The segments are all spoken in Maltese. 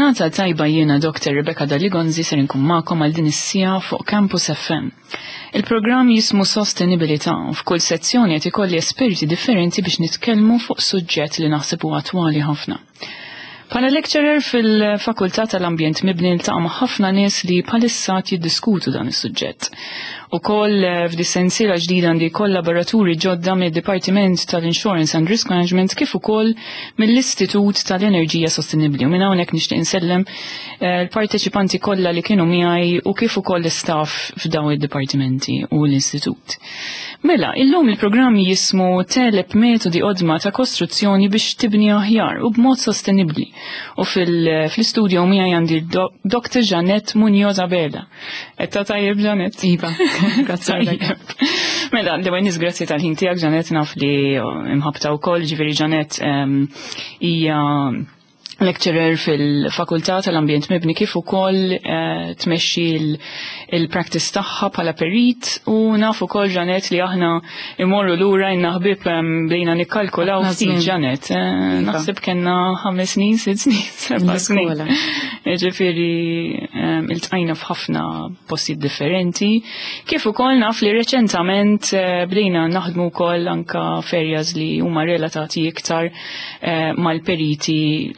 Il-ġurnata tajba jiena Dr. Rebecca Daligonzi ser inkun magħkom għal din is-sija fuq Campus FM. Il-programm jismu Sostenibilità u f'kull sezzjoni qed ikolli esperti differenti biex nitkellmu fuq suġġett li naħseb huwa attwali ħafna. Bħala lecturer fil-Fakultà tal-Ambjent Mibni niltaqa' ma' ħafna nies li bħalissa jiddiskutu dan is-suġġett. Ukoll eh, f'di sensiela ġdida għandi kollaboraturi ġodda mid-Dipartiment tal-Insurance and Risk Management kif ukoll mill-Istitut tal-Enerġija Sostenibbli. U minn hawnhekk nixtieq insellem eh, l-parteċipanti kollha li kienu miegħi u kif ukoll l-istaff f'dawn id-dipartimenti u l-istitut. Mela, illum il-programm jismu Teleb metodi qodma ta' kostruzzjoni biex tibni aħjar u b'mod sostenibbli. U fil-studio miegħi għandi Dr. Janet Munoz Abela. Etta tajjeb Janet? Iva, grazzi. Mela, l-ewwel nies grazzi tal-ħin tiegħek Janet naf li imħabta wkoll, ġifieri Janet hija lecturer fil-Fakultà tal-Ambjent Mibni kif ukoll eh, tmexxi il-practice tagħha bħala perit u naf ukoll Ġanet li aħna imorru lura inna ħbieb bdejna nikkalkulaw ftit Ġanet. Eh, iva. Naħseb kellna ħames snin, sitt snin, seba' snin. Ġifieri iltqajna f'ħafna postijiet differenti. Kif ukoll naf li reċentament eh, bdejna naħdmu wkoll anka ferjas li huma relatati iktar Eh, mal-periti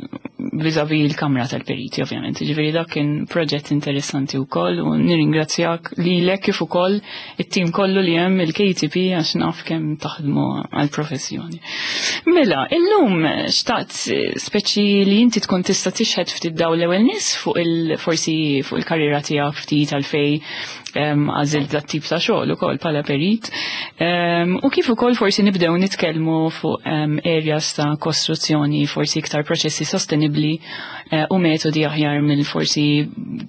vizavi l-kamra tal-periti ovvjament. Ġifieri dak kien proġett interessanti wkoll u nirringrazzjak lilek kif ukoll it-tim kollu li hemm il-KTP għax naf kemm taħdmu għall-professjoni. Mela, illum xtaqt speċi li inti tkun tista' tixħed ftit daw l-ewwel nies fuq il forsi fuq il-karriera tiegħek ftit għalfej għażilt dat tip ta' xogħol ukoll bħala perit. U kif ukoll forsi nibdew nitkellmu fuq areas ta' kostruzzjoni, forsi iktar proċessi sostenibbli eh, u metodi aħjar mill forsi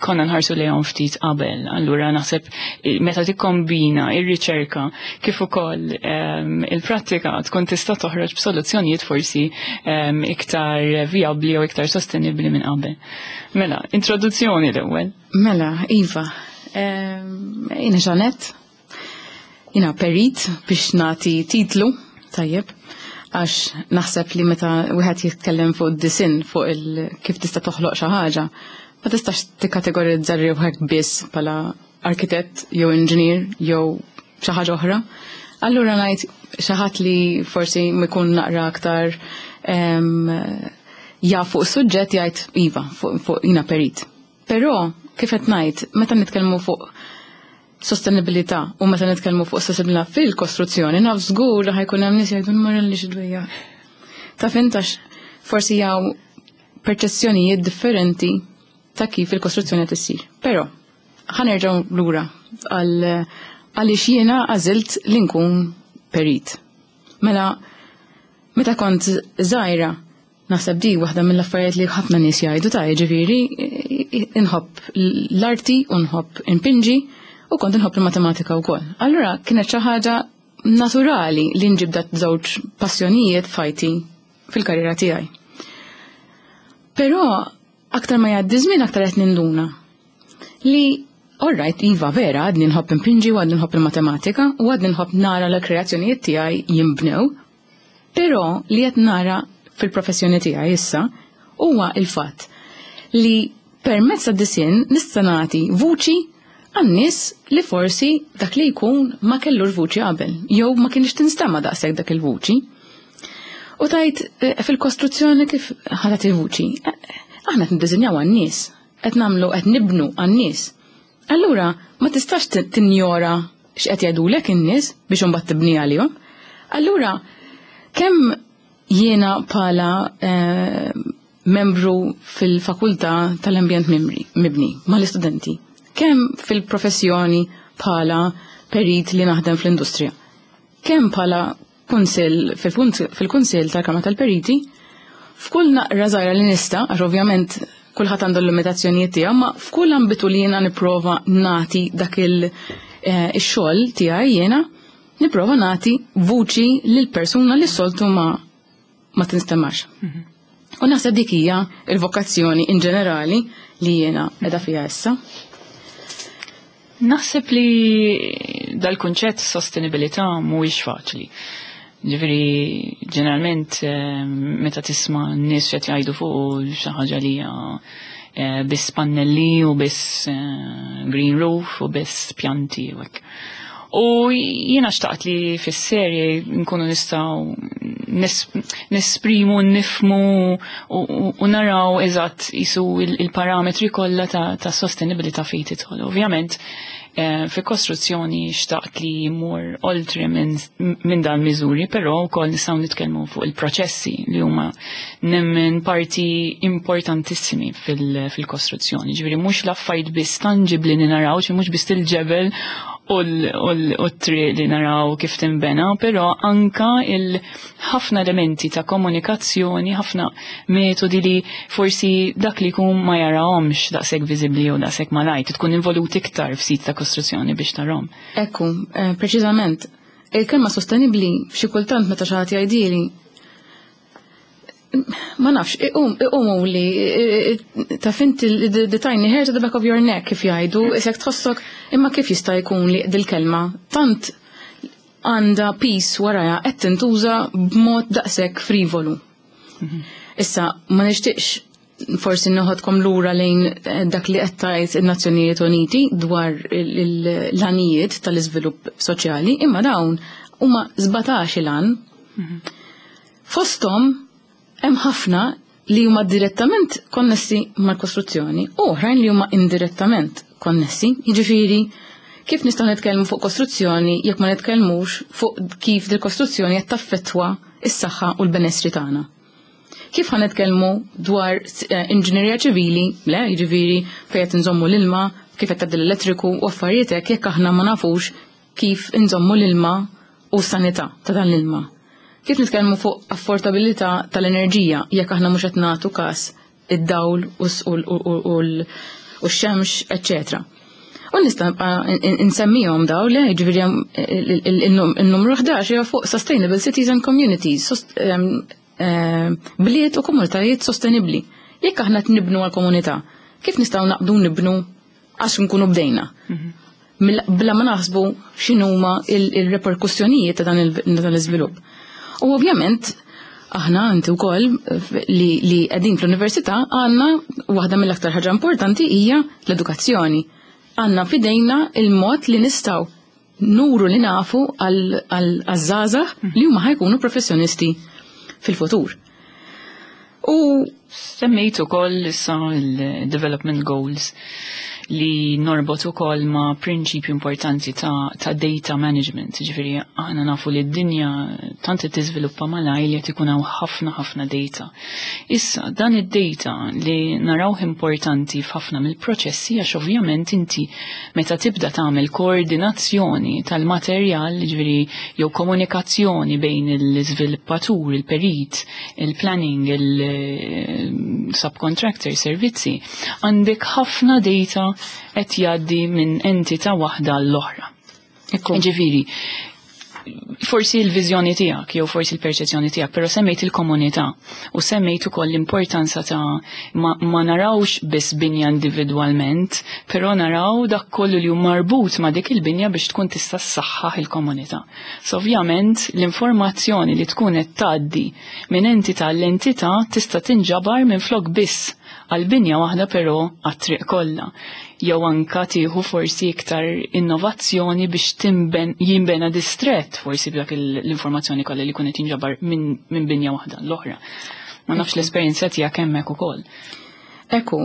konna nħarsu lejhom ftit qabel. Allura naħseb eh, meta tikkombina ir-riċerka kif ukoll il-prattika tkun tista' toħroġ b'soluzzjonijiet forsi iktar vijabbli u iktar sostenibbli minn qabel. Mela, introduzzjoni l-ewwel. Mela, Iva, jina ġanet, jina perit biex nati titlu, tajjeb, għax naħseb li meta wieħed jitkellem fuq disin fuq il kif tista' toħloq xi ħaġa, ma tistax tikkategorizza ruħek biss bħala arkitett jew inġinier jew xi ħaġa oħra. Allura ngħid xi ħadd li forsi jkun naqra aktar jaf fuq suġġett jgħid iva fuq jina perit. Però, kif qed ngħid, meta nitkellmu fuq sostenibilità u meta nitkellmu fuq sostenibilità fil-kostruzzjoni, naf żgur li ħajkun hemm nies jgħidu nmur li xi Ta' fintax forsi jaw perċezzjonijiet differenti ta' kif il-kostruzzjoni qed issir. Però ħanerġgħu lura għal għaliex jiena għażilt li nkun perit. Mela meta kont żgħira Naħseb di waħda mill-affarijiet li ħafna nies jgħidu ta' jiġifieri inħobb l-arti u nħobb inpinġi u kont inħobb il-matematika wkoll. Allura kienet xi ħaġa naturali li nġib dat żewġ passjonijiet fajti fil-karriera tiegħi. Però aktar ma jgħaddi żmien aktar qed ninduna li Alright, iva vera, għadni nħobb impinġi u għadni nħobb il-matematika u għadni nħobb nara l-kreazzjonijiet tiegħi jimbnew, Però li qed nara fil-professjoni tiegħi issa huwa il-fatt li permezz tad-disinn nista' nagħti vuċi għan-nies li forsi dak li jkun ma kellux vuċi qabel jew ma kienx tinstema' daqshekk dak il-vuċi. U tajt eh, fil-kostruzzjoni kif ħadet il-vuċi. Eh, aħna qed niddisinjaw għan-nies, qed nagħmlu qed nibnu għan-nies. Allura ma tistax tinjora x'qed jgħidulek in-nies biex imbagħad tibni għalihom. Allura kemm jiena bħala eh, membru fil-fakultà tal-ambjent mibni mal-istudenti, kemm fil-professjoni bħala perit li naħdem fl-industrija, kemm bħala kunsill fil-kunsill tal-Kamra tal-Periti, f'kull naqra żgħira li nista', għax ovvjament kulħadd għandu l-limitazzjonijiet tiegħu, ma f'kull ambitu li jiena nipprova nagħti dak il-xogħol eh, tiegħi jiena nipprova nagħti vuċi lil persuna li soltu ma ma tinstemax. Mhm. U naħseb dik hija il-vokazzjoni in ġenerali li jiena qiegħda fiha issa. Naħseb li dal-kunċett sostenibilità mhuwiex faċli. Ġifieri ġeneralment eh, meta tisma' n-nies qed jgħidu fuq xi ħaġa li hija Biss pannelli u biss green roof u biss pjanti u hekk. U jiena xtaqt li fis-serje nkunu nistgħu nesprimu, nifmu u naraw eżatt jisu il-parametri kollha ta' sostenibilità fejn tidħol. Ovvjament, fi kostruzzjoni xtaqt li jmur oltre minn dan miżuri, però wkoll nistgħu nitkellmu fuq il-proċessi li huma nemmen parti importantissimi fil-kostruzzjoni. Ġifieri mhux l-affarijiet biss tangibli li naraw, mhux biss il-ġebel u t-triq li naraw kif timbena, però anka il-ħafna elementi ta' komunikazzjoni, ħafna metodi li forsi dak li jkun ma jarahomx daqshekk viżibbli u daqshekk malajt, tkun involut iktar f'sit ta' kostruzzjoni biex tarahom. Ekku, preċiżament, il-kelma sostenibbli xi kultant meta xi ħadd jgħidili, ma nafx, iqumu li ta' fint the tiny hair to the back of your neck kif jgħidu, isek tħossok imma kif jista' jkun li dil-kelma tant għandha piż warajha qed tintuża b'mod daqshekk frivolu. Issa, ma nixtieqx forsi noħodkom lura lejn dak li qed tgħid in-Nazzjonijiet Uniti dwar l-għanijiet tal-iżvilupp soċjali, imma dawn huma 17 il-għan. Fosthom hemm ħafna li huma direttament konnessi mal-kostruzzjoni u oħrajn li huma indirettament konnessi. Jiġifieri, kif nistgħu nitkellmu fuq kostruzzjoni jekk ma nitkellmux fuq kif dil-kostruzzjoni qed taffettwa s-saħħa u l-benessri tagħna? Kif ħa nitkellmu dwar inġinerija ċivili, le, jiġifieri fejn qed inżommu l-ilma, kif qed tgħaddi l-elettriku u affarijiet hekk jekk aħna ma nafux kif inżommu l-ilma u s-sanità ta' dan l-ilma? Kif nitkellmu fuq affordabilità tal-enerġija jekk aħna mhux qed nagħtu każ id-dawl u x-xemx, eċċetera. U nista' nibqa' insemmihom daw li jiġifieri il-numru 11 hija fuq Sustainable Cities and Communities, bliet u komunitajiet sostenibbli. Jekk aħna qed nibnu għall-komunità, kif nistgħu naqbdu nibnu għax nkunu bdejna? Bla ma naħsbu x'inhuma il-reperkussjonijiet ta' dan l-iżvilupp. U ovvjament, aħna inti wkoll li qegħdin fl-università għandna waħda mill-aktar ħaġa importanti hija l-edukazzjoni. Għandna f'idejna il-mod li nistgħu nuru li nafu għal-żgħażagħ li huma ħajkunu professjonisti fil-futur. U semmejt ukoll issa il-development goals li norbot ukoll ma' prinċipju importanti ta' data management. Ġifieri aħna nafu li d-dinja tant qed tiżviluppa malajr li qed ikun hawn ħafna ħafna data. Issa dan id-data li narawh importanti f'ħafna mill-proċessi għax ovvjament inti meta tibda tagħmel koordinazzjoni tal-materjal, ġifieri jew komunikazzjoni bejn l-iżviluppatur, il-perit, il-planning, il-subcontractor, servizzi, għandek ħafna data qed jgħaddi minn entità waħda l-oħra. Ġifieri, forsi l-viżjoni tiegħek jew forsi l-perċezzjoni tiegħek, però semmejt il-komunità u semmejt ukoll l-importanza ta' ma narawx biss binja individwalment, però naraw dak kollu li hu marbut ma' dik il-binja biex tkun tista' ssaħħaħ il-komunità. So ovvjament l-informazzjoni li tkun qed tgħaddi minn entità l-entità tista' tinġabar minn flok biss għal binja waħda però għat-triq kollha. Jew anka tieħu forsi iktar innovazzjoni biex jinbena distrett forsi b'dak l-informazzjoni kollha li jkun qed jinġabar minn binja waħda l-oħra. Ma nafx l-esperjenza tiegħek hemmhekk ukoll. Ekku,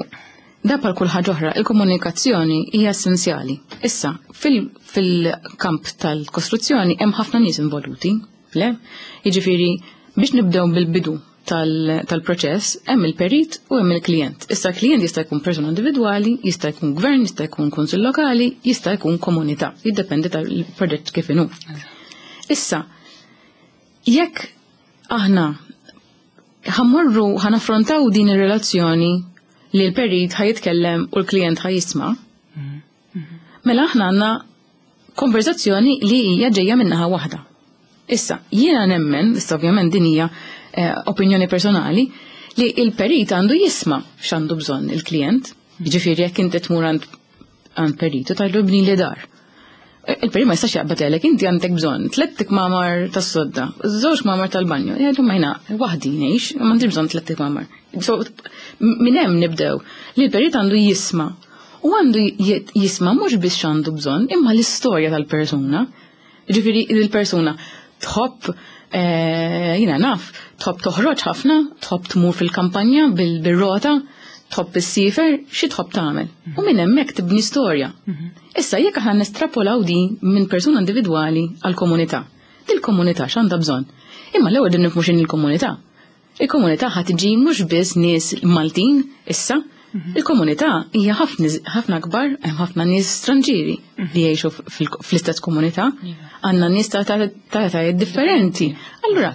da bħal kull ħaġa oħra, il-komunikazzjoni hija essenzjali. Issa, fil-kamp tal-kostruzzjoni hemm ħafna nies involuti, le? Jiġifieri biex nibdew bil-bidu tal-proċess, hemm il-perit u hemm il-klient. Issa l-klient jista' jkun persuna individwali, jista' jkun gvern, jista' jkun kunsill lokali, jista' jkun komunità, jiddependi tal-proġett kif inhu. Issa, jekk aħna ħammorru ħanaffrontaw din ir-relazzjoni li l-perit ħajitkellem u l-klient ħajisma', mela aħna għandna konverzazzjoni li hija ġejja minnaħa waħda. Issa, jiena nemmen, issa ovvjament din hija opinjoni personali, li il-perit għandu jisma' x'għandu bżonn il-klient. Jiġifieri jekk inti tmur għand perit u tgħidlu bni li dar. Il-perit ma jistax jaqbad għalek, inti għandek bżonn tlett ikmamar tas-sodda, żewġ kmamar tal-banju. Jgħidu ma jiena waħdi ngħix, m'għandix bżonn tlett ikmamar. So, minn hemm nibdew li l-perit għandu jisma' u għandu jisma' mhux biss x'għandu bżonn, imma l-istorja tal-persuna. Ġifieri il-persuna tħobb jiena naf, tħobb toħroġ ħafna, tħobb tmur fil-kampanja bil-rota, tħobb issiefer, xi tħobb tagħmel. U minn hemmhekk tibni storja. Issa jekk aħna nestrapolaw din minn persuna individwali għal komunità, dil-komunità x'għandha bżonn? Imma l-ewwel din nifhmu x'inhi l-komunità. Il-komunità ħa tiġi mhux biss nies Maltin issa, il-komunità hija ħafna akbar, hemm ħafna nies stranġieri li jgħixu fl-istess komunità, għandna nies ta' etajiet differenti. Allura,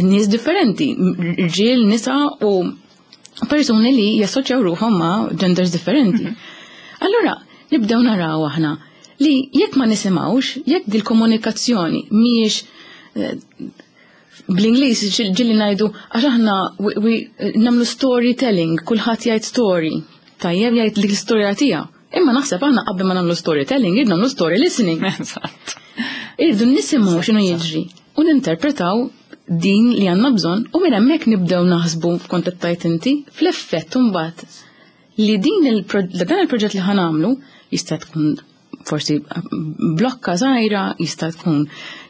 nies differenti, rġiel, nisa u persuni li jassoċjaw ruħhom ma' genders differenti. Allura, nibdew naraw aħna li jekk ma nisimgħux, jekk dil-komunikazzjoni mhijiex bl-Ingliż ġieli ngħidu għax aħna nagħmlu storytelling, kulħadd jgħid story, tajjeb jgħid dik l-istorja tiegħu. Imma naħseb aħna qabel ma nagħmlu storytelling, irridu nagħmlu story listening. Irridu nisimgħu x'inhu jiġri u ninterpretaw din li għandna bżonn u minn hemmhekk nibdew naħsbu f'kont qed tgħid inti fl-effett imbagħad li din dan il-proġett li ħa nagħmlu jista' tkun forsi blokka żgħira, jista' tkun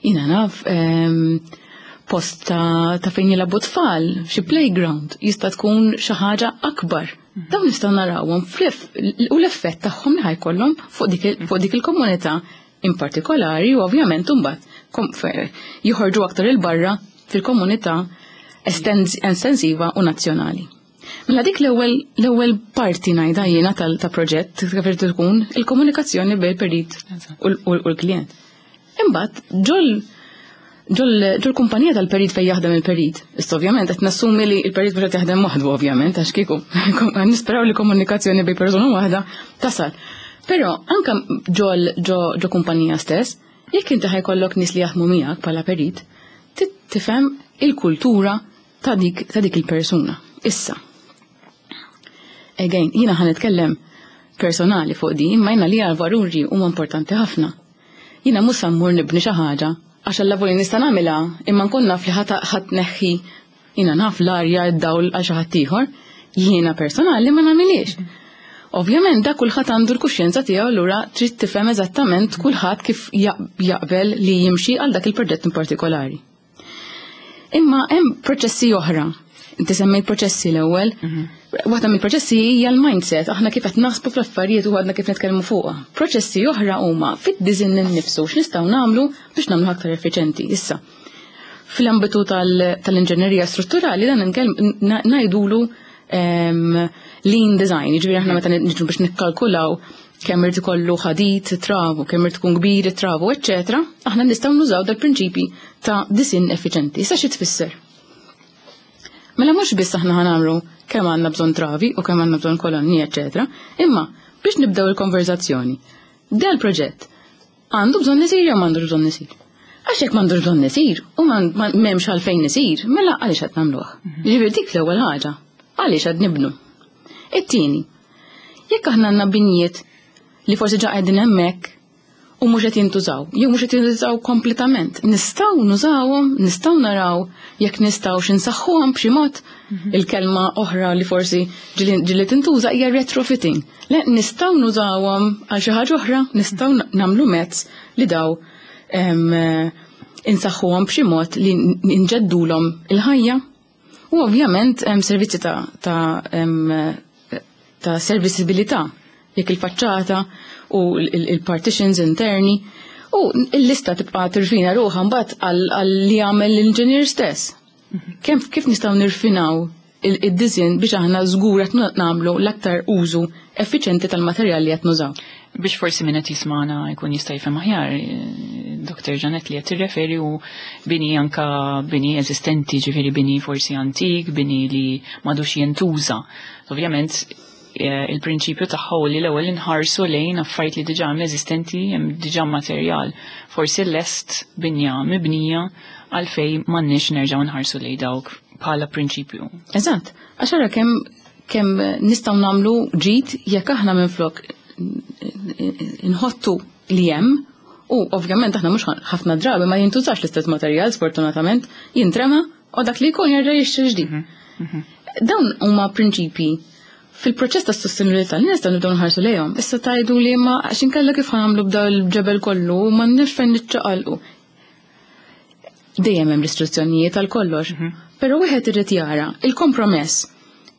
jiena naf post ta' fejn jilagħbu tfal, xi playground, jista' tkun xi ħaġa akbar. Dawn nistgħu narawhom u l-effett tagħhom li ħa jkollhom fuq dik il-komunità in partikolari u ovvjament imbagħad joħorġu aktar il-barra fil-komunità estensiva u nazzjonali. Mela dik l-ewwel parti ngħidha jiena ta' proġett kif irid tkun il-komunikazzjoni bejn perit u l-klient. Imbagħad ġol kumpanija tal-perit fejn jaħdem il-perit. Issa ovvjament qed nassumi li l-perit mhux qed jaħdem waħdu ovvjament għax kieku nisperaw li komunikazzjoni bejn persuna waħda tasal. Però anke ġo kumpanija stess, jekk inti ħa jkollok nies li jaħdmu miegħek bħala perit, tifhem il-kultura ta' dik il-persuna. Issa, again, jiena ħa nitkellem personali fuq din, imma jiena li għal-valuri huma importanti ħafna. Jiena mhux sa mmur nibni xi ħaġa għax alla nista' nagħmilha imma nkun naf li ħa tneħħi jiena naf l-arja id-dawl għal xi ħadd ieħor, jiena personali ma nagħmilhiex. Ovvjament da kulħadd għandu l-kuxjenza tiegħu allura trid tifhem eżattament kulħadd kif jaqbel li jimxi għal dak il-proġett in partikolari. Imma hemm proċessi oħra. Inti semmejt proċessi l-ewwel. Waħda mill-proċessi hija l-mindset, aħna kif qed naħsbu fl-affarijiet u għadna kif nitkellmu fuqha. Proċessi oħra huma fid-design innifsu x'nistgħu nagħmlu biex nagħmlu aktar effiċenti. Issa, fl-ambitu tal-inġenerija strutturali dan ngħidulu lean design, jiġifieri aħna meta niġu biex nikkalkulaw kemm irid ikollu ħadid, travu, kemm irid tkun kbir travu, eċċetera, aħna nistgħu nużaw dal-prinċipi ta' design effiċenti. Issa xi tfisser? Mela mhux biss aħna ħa nagħmlu kemm għandna bżonn travi u kemm għandna bżonn kolonni, eċċetera, imma biex nibdew il-konverzazzjoni. Dal proġett għandu bżonn isir jew m'għandux bżonn isir? Għax jekk m'għandux bżonn isir u m'hemmx għalfejn isir, mela għaliex qed nagħmluh? Jiġifieri dik l-ewwel ħaġa. Għaliex qed nibnu? It-tieni, jekk aħna għandna binjiet li forsi ġa qegħdin hemmhekk u mhux qed jintużaw, jew mhux qed jintużaw kompletament, nistgħu nużawhom, nistgħu naraw jekk nistgħu insaħħuhom b'xi mod. Il-kelma oħra li forsi ġieli tintuża hija retrofitting. Le nistgħu nużawhom għal xi ħaġa oħra, nistgħu nagħmlu mezz li daw insaħħuhom b'xi mod li nġeddulhom il-ħajja. U ovvjament hemm servizzi ta' servisibilità, jekk il-faċċata u il-partitions interni u l-lista tibqa' tirfina ruħha mbagħad għal li jagħmel l-inġinier stess. Kif nistgħu nirfinaw id-design biex aħna żgur qed nagħmlu l-aktar użu effiċjenti tal-materjal li qed nużaw. Biex forsi min qed jismana jkun jista' jifhem aħjar, Dr. Janet li qed tirreferi u bini anka bini eżistenti, ġifieri bini forsi antik, bini li m'għadux jintuża. Ovvjament il-prinċipju tagħha li l-ewwel inħarsu lejn affarijiet li diġà hemm eżistenti, hemm diġà materjal. Forsi lest binja mibnija għalfejn m'għandniex nerġgħu nħarsu lejn dawk bħala prinċipju. Eżatt, għax ara kemm nistgħu nagħmlu ġid jekk aħna minflok nħottu li hemm. U ovvjament aħna mhux ħafna drabi ma jintużax l-istess materjal sfortunatament, jintrema u dak li jkun jerġa' jixtri ġdid. Dawn huma prinċipji fil-proċess ta' sostenibilità li nistgħu nibdew nħarsu lejhom. Issa tgħidu li ma għax inkella kif ħa nagħmlu b'daw il-ġebel kollu u m'għandniex fejn niċċaqalqu. Dejjem hemm restrizzjonijiet għal kollox. Però wieħed irid jara il-kompromess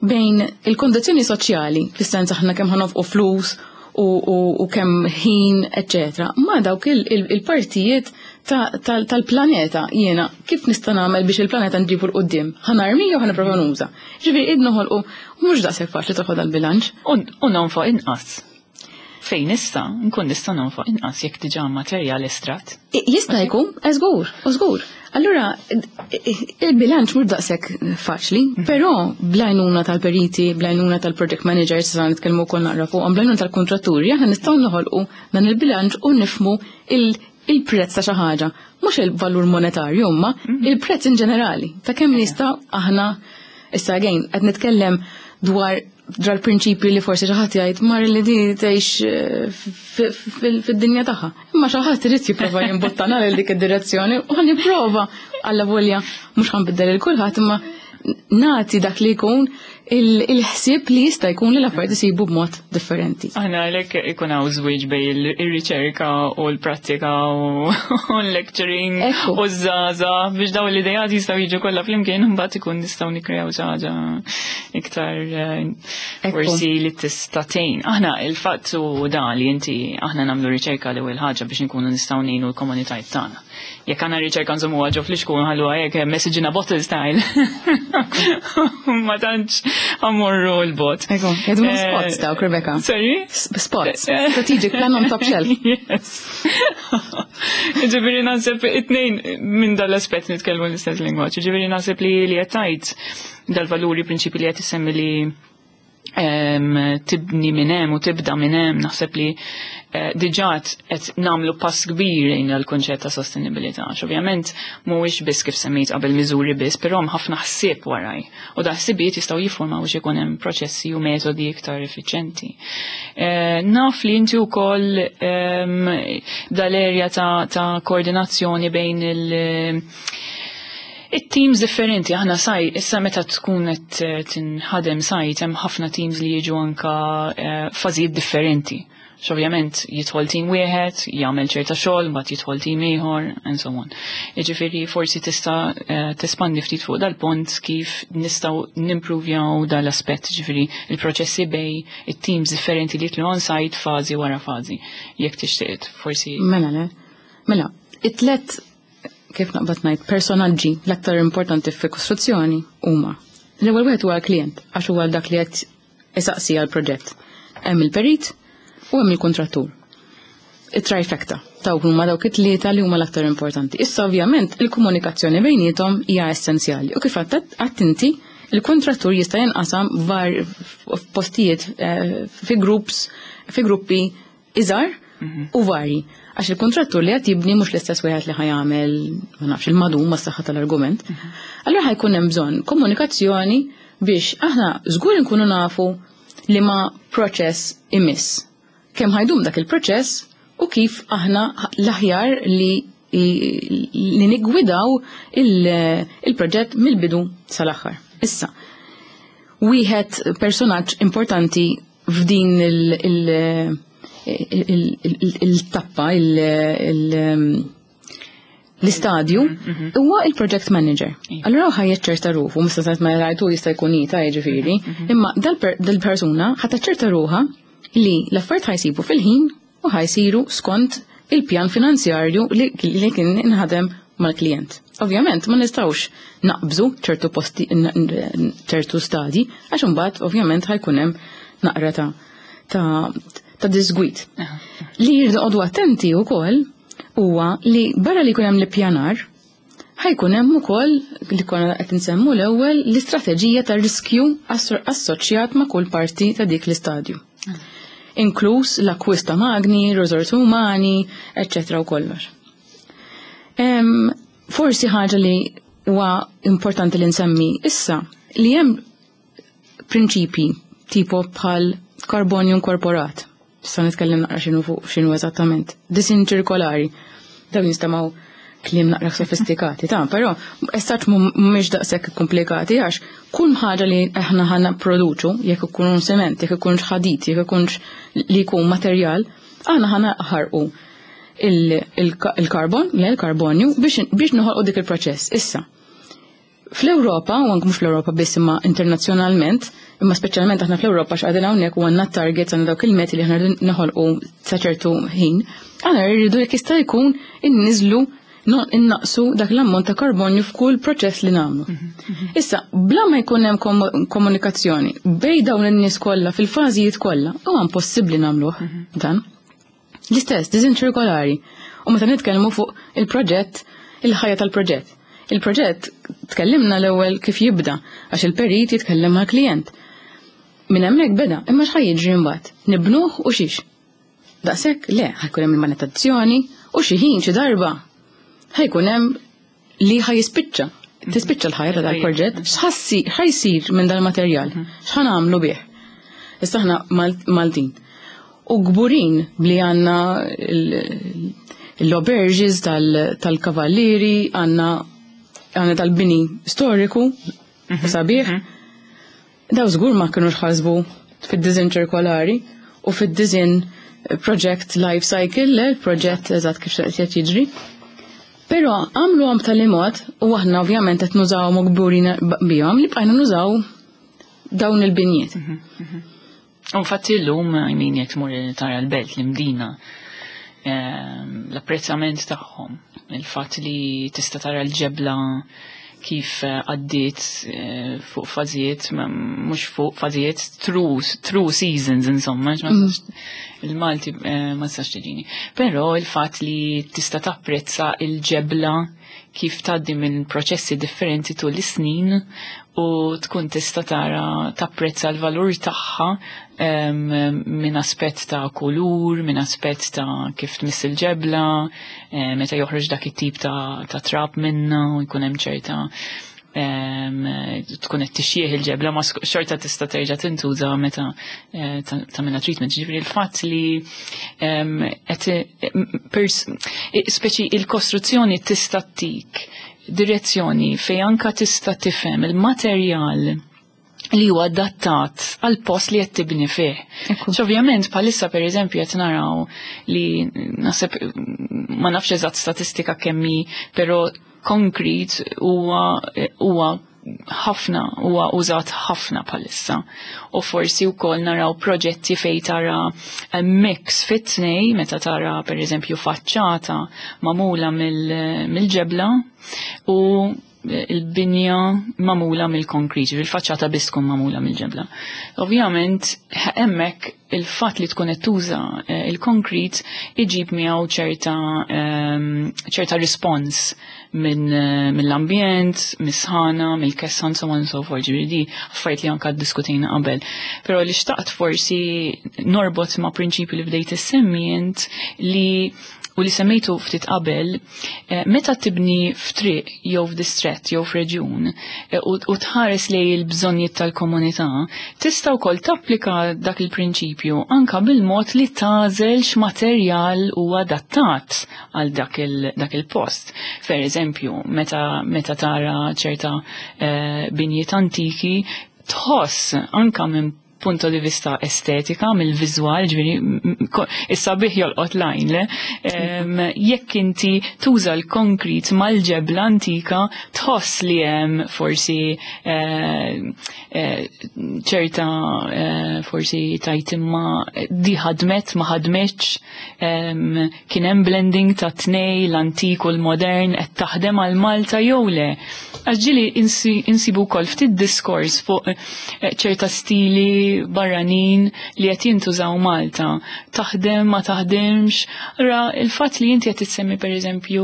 bejn il-kondizzjoni soċjali, fis-sens aħna kemm ħa nonfqu flus u kemm ħin, eccetera, ma dawk il-partijiet tal-planeta jiena kif nista' nagħmel biex il-planeta nġibu 'l quddiem. Ħa narmi jew ħa nipprova nuża. Ġifieri id noħolqu mhux daqshekk faċli toħod dal-bilanċ. U nonfoq inqas. Fejn nista' nkun nista' nonfoq inqas jekk diġà materjal estrat. Jista' jkun, żgur, żgur. Allura, il-bilanċ mhux daqshekk faċli, però bl-għajnuna tal-periti, bl-għajnuna tal-project managers, sa nitkellmu wkoll naqra fuqhom, bl-għajnuna tal-kontratturi, aħna nistgħu noħolqu dan il-bilanċ u nifhmu il-prezz ta' xi ħaġa. Mhux il-valur monetarju imma il-prezz in ġenerali ta' kemm nista' aħna issa again qed nitkellem dwar dwar prinċipji li forsi xi ħadd jgħid mar li di tgħix fid-dinja tagħha. Imma xi ħadd irid jipprova jimbuttana lil dik id-direzzjoni u ħa nipprova alla volja mhux ħa nbiddel lil kulħadd imma nagħti dak li jkun il-ħsieb li jista' jkun li l-affarijiet isibu b'mod differenti. Aħna għalhekk ikun hawn żwieġ bejn ir-riċerka u l-prattika u l-lecturing u ż-żgħażagħ biex dawn l-idejat jistgħu jiġu kollha flimkien imbagħad ikun nistgħu nikkrew xi ħaġa iktar forsi li tista' tgħin. Aħna il-fatt u dan li inti aħna nagħmlu riċerka l-ewwel ħaġa biex inkunu nistgħu ngħinu l-komunitajiet tagħna. Jekk għandna riċerka nżommuha ġo flixkun ħalluha hekk message in a bottle style. Ma tantx ammorru l-bot. Ekku, jgħidu spots dawk, Rebecca. Sorry? Spots. Strategic plan on top shelf. Yes. Ġifieri naħseb it-tnejn minn dal-aspett nitkellmu l-istess lingwaġġ. Ġifieri naħseb li li qed tgħid dal-valuri prinċipi li qed isemmi li tibni minn hemm u tibda minn hemm, naħseb li diġà qed nagħmlu pass kbir lejn l-kunċett ta' sostenibilità. Għax ovvjament mhuwiex biss kif semmejt qabel miżuri biss, però hemm ħafna ħsieb waraj. U da ħsibijiet jistgħu jiffurmaw biex ikun hemm proċessi u metodi iktar effiċjenti. Naf li inti wkoll dal-erja ta' koordinazzjoni bejn it-teams differenti, aħna saj, issa meta tkun qed tinħadem sajt, hemm ħafna teams li jiġu anka fażijiet differenti. Ovvjament jidħol team wieħed, jagħmel ċerta xogħol, mbagħad jidħol team ieħor, and so on. Jiġifieri forsi tista' tespandi ftit fuq dal-punt kif nistgħu nimpruvjaw dal-aspett, jiġifieri il-proċessi bejn it-teams differenti li jitlu on site fażi wara fażi. Jekk tixtieq forsi. Mela le. Mela, it-tlet kif naqbad ngħid personaġġi l-aktar importanti fi kostruzzjoni huma. L-ewwel wieħed huwa l-klient għax huwa dak li qed isaqsi għall-proġett. Hemm il-perit u hemm il-kontrattur. Il-trifecta dawk huma dawk it-tlieta li huma l-aktar importanti. Issa ovvjament il-komunikazzjoni bejniethom hija essenzjali u kif għedt inti il-kontrattur jista' jinqasam var f'postijiet fi groups, fi gruppi iżgħar u vari. Għax il-kontrattur li qed jibni mhux l-istess wieħed li ħa jagħmel, ma nafx, il-madum ma s-saħħa tal-argument. Allura ħa jkun hemm bżonn komunikazzjoni biex aħna żgur nkunu nafu li ma proċess imiss. Kemm ħa jdum dak il-proċess u kif aħna l-aħjar li nigwidaw il-proġett mill-bidu sal-aħħar. Issa, wieħed personaġġ importanti f'din il-tappa, l-istadju, huwa il-project manager. Allura ħa jaċċerta ruħu, mista sajt ma rajtu jista' jkun jita jiġifieri, imma dal-persuna ħa taċċerta ruħha li l-affarijiet ħa jsibu fil-ħin u ħa jsiru skont il-pjan finanzjarju li kien inħadem mal-klient. Ovvjament ma nistgħux naqbżu ċertu posti, ċertu stadi, għax imbagħad ovvjament ħa jkun hemm naqra ta' disgwit. Li jirdu attenti wkoll huwa li barra li jkun hemm l-ippjanar, ħa jkun hemm ukoll li konna qed insemmu l-ewwel l-istrateġija ta' riskju assoċjat ma' kull parti ta' dik l-istadju. Inkluż l-akkwist ta' magni, riżorsi umani, eċċetera u kollox. Forsi ħaġa li huwa importanti li nsemmi issa li hemm prinċipi tipo bħal karbonju inkorporat. Issa nitkellem naqra x'inhu fuq x'inhu eżattament. Disinn ċirkolari. Dawn jistamaw kliem naqra sofistikati, ta' però essaċ mhumiex daqshekk komplikati għax kull ħaġa li aħna ħa nipproduċu, jekk ikun sement, jekk ikunx ħadid, jekk ikunx li jkun materjal, aħna ħa naħarqu il-karbon, le il-karbonju, biex noħolqu dik il-proċess. Issa, fl-Ewropa, u anke mhux fl-Ewropa biss imma internazzjonalment, imma speċjalment aħna fl-Ewropa x'qegħdin hawnhekk u għandna targets, għandna dawk il-meti li aħna noħolqu sa ċertu ħin, aħna rridu jekk jista' jkun inniżlu, innaqsu dak l-ammont ta' karbonju f'kull proċess li nagħmlu. Issa, bla ma jkun hemm komunikazzjoni bejn dawn in-nies kollha fil-fażijiet kollha, huwa impossibbli nagħmluh dan. L-istess, disinn ċirkolari. U meta nitkellmu fuq il-proġett, il-ħajja tal-proġett. Il-proġett tkellimna l-ewwel kif jibda, għax il-perit jitkellem mal-klient. Minn hemmhekk beda, imma x'ħa jiġri mbagħad? Nibnuh u xiex? Daqshekk le, ħa jkun hemm il-manutenzjoni u xi ħin xi darba ħa jkun hemm li ħa jispiċċa. Tispiċċa l-ħajja ta' dal-proġett, x'ħa jsir minn dal-materjal? X'ħa nagħmlu bih? Issa aħna Maltin. U kburin bli għandna l-auberges tal-kavallieri, għandna tal-bini storiku, sabiħ. Daw żgur ma kienux ħasbu fid-disinn ċirkolari u fid-disinn project life cycle, le, proġett eżatt kif qed jiġri. Però għamlu għam tal-imod u aħna ovvjament qed nużawhom u kburin bihom li bqajna nużaw dawn il-binjiet. Infatti llum, I mean, jekk tmur tara l-belt, l-Imdina, l-apprezzament tagħhom, il-fatt li tista' tara l-ġebla kif għaddiet fuq fażijiet, mhux fuq fażijiet, through seasons, insomma, ma il-Malti ma tistax tiġini. Però il-fatt li tista' tapprezza il-ġebla kif tgħaddi minn proċessi differenti tul is-snin u tkun tista' tara tapprezza l-valur tagħha minn aspett ta' kulur, minn aspett ta' kif tmiss il-ġebla, meta joħroġ dak it-tip ta' trab minna u jkun hemm ċerta tkun qed tixjieħ il-ġebla ma xorta tista' terġa' tintuża meta tagħmilha treatment. Ġifieri il-fatt li qed speċi il-kostruzzjoni tista' tik direzzjoni fej anka tista' tifhem il-materjal li huwa adattat għal post li qed tibni fih. Ovvjament bħalissa pereżempju qed naraw li naħseb ma nafx eżatt statistika kemm hi, però concrete huwa ħafna, huwa użat ħafna bħalissa. U forsi wkoll naraw proġetti fej tara mix fit-tnej, meta tara pereżempju faċċata magħmula mill-ġebla u il-binja magħmula mill-konkrit, il-faċċata biss tkun magħmula mill-ġebla. Ovvjament, hemmhekk il-fatt li tkun qed tuża il-konkrit iġib miegħu ċerta respons mill-ambjent, mis-sħana, mill-kessan, so on and so forth. Ġifieri di affarijiet li anka ddiskutejna qabel. Però li xtaqt forsi norbot ma' prinċipju li bdejt issemmi int li u li semmejtu ftit qabel, meta tibni f'triq jew f'distrett jew f'reġjun u tħares lej il-bżonnijiet tal-komunità, tista' wkoll tapplika dak il-prinċipju anka bil-mod li tagħżel x'materjal huwa adattat għal dak il-post. Per eżempju, meta tara ċerta binjiet antiki, tħoss anka minn punto di vista estetika, mill-viżwal, ġifieri, is-sabiħ jolqot lajn, le? Jekk inti tuża l-konkrit mal-ġebla antika, tħoss li hemm forsi ċerta forsi tajt imma di ħadmet, ma ħadmetx, kien hemm blending ta' tnej, l-antik u l-modern, qed taħdem għal Malta jew le. Għax ġieli insibu wkoll ftit diskors fuq ċerta stili barranin li qed jintużaw Malta. Taħdem, ma taħdemx. Ra, il-fatt li inti qed tissemmi pereżempju,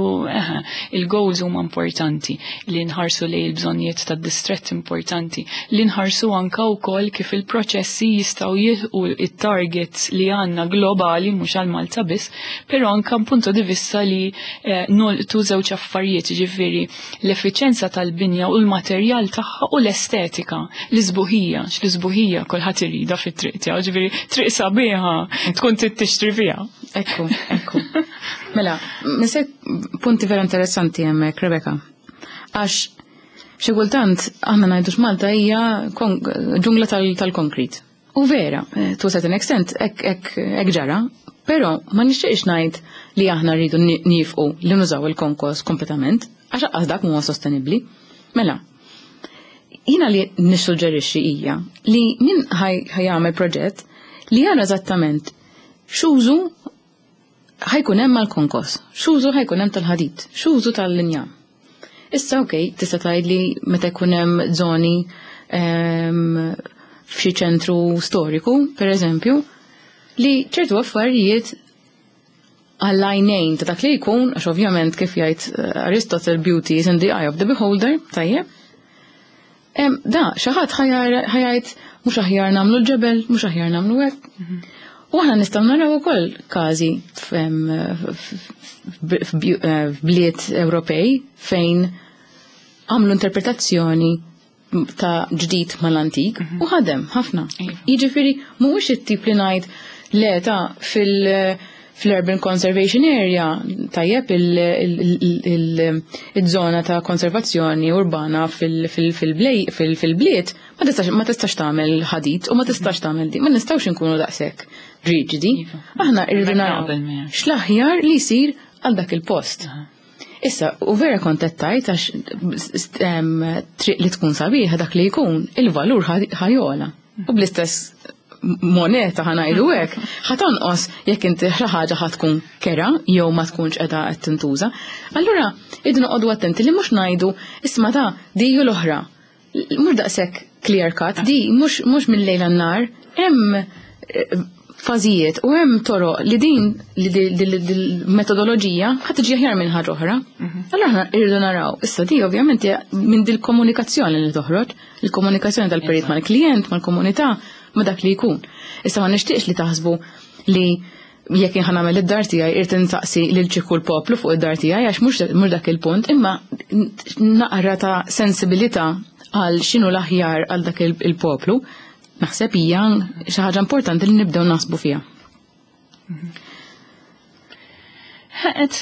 il-goals huma importanti, li nħarsu lejn il-bżonnijiet tad-distrett importanti, li nħarsu anka wkoll kif il-proċessi jistgħu jilħqu it-targets li għandna globali mhux għal Malta biss, però anka punto di vista li nolqtu żewġ affarijiet, ġifieri l-effiċenza tal-binja u l-materjal tagħha u l-estetika, l-isbuħija, x-l-isbuħija kulħadd Kulħadd iridha fit-triq tiegħu, ġifieri triq sabiħa tkun trid tixtri fiha. Ekku, ekku. Mela, misek punti vera interessanti hemmhekk, Rebecca. Għax xi kultant aħna ngħidu x'Malta hija ġungla tal-konkrit. U vera, to a certain extent, hekk ġara, però ma nixtieqx ngħid li aħna rridu nifqu li nużaw il-konkos kompletament, għax aqqas dak huwa sostenibbli. Mela, jiena li nissuġġerixxi hija li min ħajjagħmel proġett li jara eżattament x'użu ħajkun hemm mal-konkos, x'użu ħajkun hemm tal-ħadid, x'użu tal-linjam. Issa okej, tista' tgħid li meta jkun hemm żoni f'xi ċentru storiku, per eżempju, li ċertu affarijiet għall-għajnejn ta' dak li jkun, għax ovvjament kif jgħid Aristotle, beauty is in the eye of the beholder, tajjeb. Da, xi ħadd ħa jgħid mhux aħjar nagħmlu l-ġebel, mhux aħjar nagħmlu hekk. U aħna nistgħu naraw ukoll każi f'bliet Ewropej fejn għamlu interpretazzjoni ta' ġdid mal-antik u ħadem ħafna. Jiġifieri mhuwiex it-tip li ngħid le ta' fil-Urban Conservation Area, tajjeb, il-żona ta' konservazzjoni urbana fil-bliet, ma tistax tagħmel ħadid u ma tistax tagħmel di, ma nistgħux inkunu daqshekk riġidi. Aħna irridu naraw x'l-aħjar li jsir għal dak il-post. Issa, u vera kont qed tgħid għax triq li tkun sabiħa dak li jkun, il-valur ħa jogħla. U bl-istess moneta ħa ngħidu hekk, ħa tonqos jekk inti xi ħaġa ħa tkun kera jew ma tkunx qiegħda qed tintuża. Allura irridu noqogħdu attenti li mhux ngħidu isma' ta' di u l-oħra. Mhux daqshekk clear cut, di mhux mill-lejl għan-nar, hemm fażijiet u hemm toroq li din li metodoloġija ħa tiġi aħjar minn ħaġa oħra. Allura aħna irridu naraw. Issa di ovvjament hija minn dil-komunikazzjoni li toħroġ, il-komunikazzjoni tal-perit mal-klient, mal-komunità, ma dak li jkun. Issa ma nixtieqx li taħsbu li jekk jien nagħmel id-dar tiegħi irid insaqsi lil ċikku l-poplu fuq id-dar tiegħi għax mhux dak il-punt, imma naqra ta' sensibilità għal x'inhu l-aħjar għal dak il-poplu. Naħseb hija xi ħaġa importanti li nibdew naħsbu fiha. Et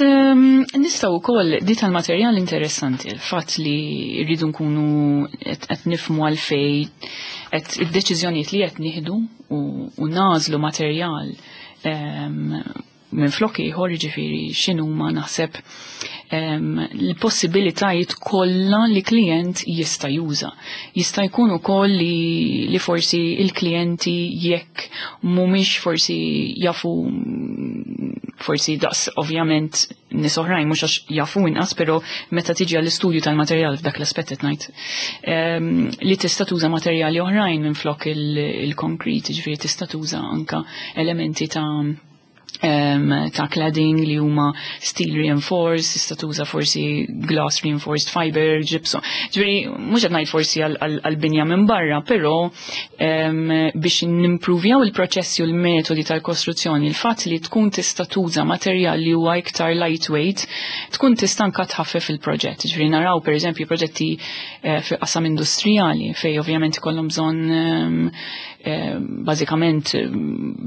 nistgħu wkoll di tal-materjal interessanti, il-fatt li rridu nkunu qed nifhmu għalfej qed id-deċiżjonijiet li qed nieħdu u nagħżlu materjal minn flok ieħor, jiġifieri x'inhuma naħseb l-possibilitajiet kollha li klient jista' juża. Jista' jkun ukoll li forsi il-klijenti jekk mhumiex forsi jafu forsi daqs ovvjament nies oħrajn mhux għax jafu inqas, però meta tiġi għall-istudju tal-materjal f'dak l-aspett qed ngħid li tista' tuża materjali oħrajn minn flok il-konkrit, jiġifieri tista' tuża anka elementi ta' cladding li huma steel reinforced, tista' tuża forsi glass reinforced fiber, gypsum. Ġifieri mhux qed ngħid forsi għall-binja minn barra, però biex nimpruvjaw il-proċessi u l-metodi tal-kostruzzjoni, il-fatt li tkun tista' tuża materjal li huwa iktar lightweight, tkun tista' anka tħaffef il-proġett. Ġifieri naraw pereżempju proġetti fil-qasam industrijali fej ovvjament ikollhom bżonn bażikament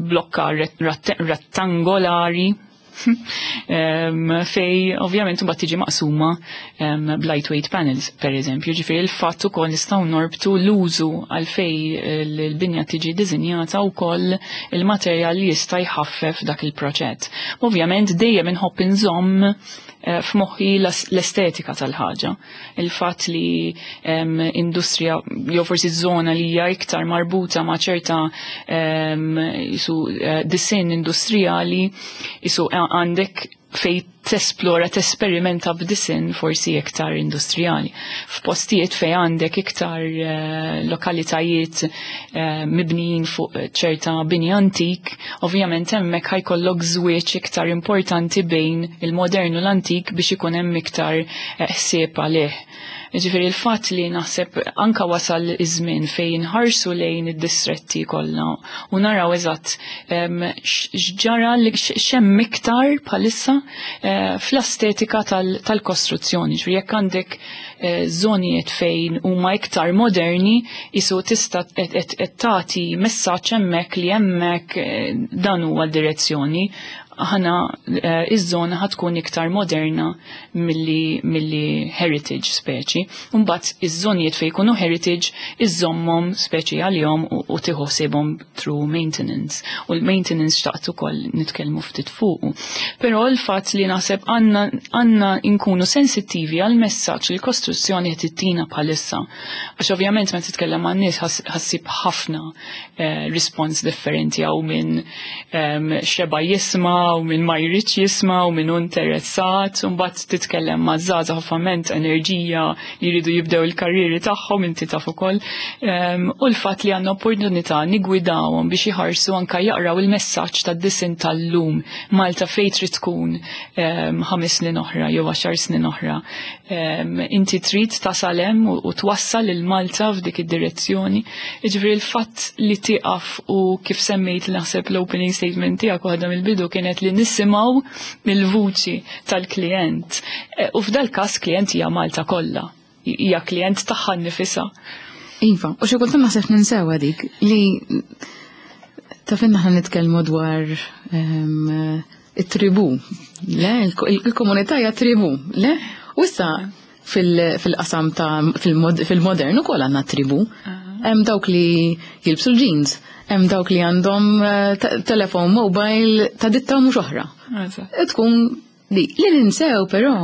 blokka rettangolari fej ovvjament mbagħad tiġi maqsuma b'lightweight panels per eżempju. Ġifieri il-fatt ukoll nistgħu norbtu l-użu għal fej l-binja tiġi disinjata wkoll il-materjal li jista' jħaffef dak il-proċett. Ovvjament dejjem inħobb inżomm f'moħħi l-estetika tal-ħaġa. Il-fatt li industrija jew forsi żona li hija iktar marbuta ma' ċerta jisu disinn industrijali, jisu għandek fej tesplora, tesperimenta b'disinn forsi iktar industrijali. F'postijiet fej għandek iktar lokalitajiet mibnijin fuq ċerta bini antik, ovvjament hemmhekk ħajkollok żwieġ iktar importanti bejn il-modern u l-antik biex ikun hemm iktar ħsieb għalih. Ġifieri il-fatt li naħseb anka wasal iż-żmien fejn inħarsu lejn id-distretti kollha u naraw eżatt x'ġara li x'hemm iktar bħalissa. fl-estetika tal-kostruzzjoni. Ġifieri jekk għandek żonijiet fejn huma iktar moderni, isu tista' qed tagħti messaġġ hemmhekk li hemmhekk dan huwa d-direzzjoni, ħana iż-żona ħatkun iktar moderna milli heritage speċi. Mbagħad iż-żonijiet fejn jkunu heritage iżommhom speċi għalihom u tieħu ħsiebhom through maintenance. U l-maintenance xtaqt ukoll nitkellmu ftit fuqu. Però l-fatt li naħseb għandna nkunu sensittivi għal messaġġ li l-kostruzzjoni qed tittina bħalissa. Għax ovvjament meta titkellem man-nies ħassib ħafna response differenti, għaw minn xeba jisma' u minn ma jridx jisma' u minn interessat, u mbagħad titkellem ma' żgħażagħ, ovvjament enerġija li jridu jibdew il-karrieri tagħhom, inti taf ukoll. U l-fatt li għandna opportunità nigwidawhom biex iħarsu anka jaqraw il-messaġġ tad-disin tal-lum, Malta fejn trid tkun 5 snin oħra jew 10 snin oħra. Inti trid tasal hemm u twassal lil Malta f'dik id-direzzjoni. Jiġifieri l-fatt li tieqaf u kif semmejt, naħseb l-opening statement tiegħek, waħda mill-bidu kienet li nisimgħu mill-vuċi tal-klient. U f'dal każ klient hija Malta kollha. Hija klient tagħha nnifisha. Iva, u xi kultant naħseb ninsew dik li taf aħna nitkellmu dwar it-tribu, le? Il-komunità hija tribu, le? U issa fil-qasam ta' fil-modern ukoll għandna tribu. Hemm dawk li jilbsu l-jeans, hemm dawk li għandhom telefon mobile ta' ditta mhux oħra. Tkun li ninsew però,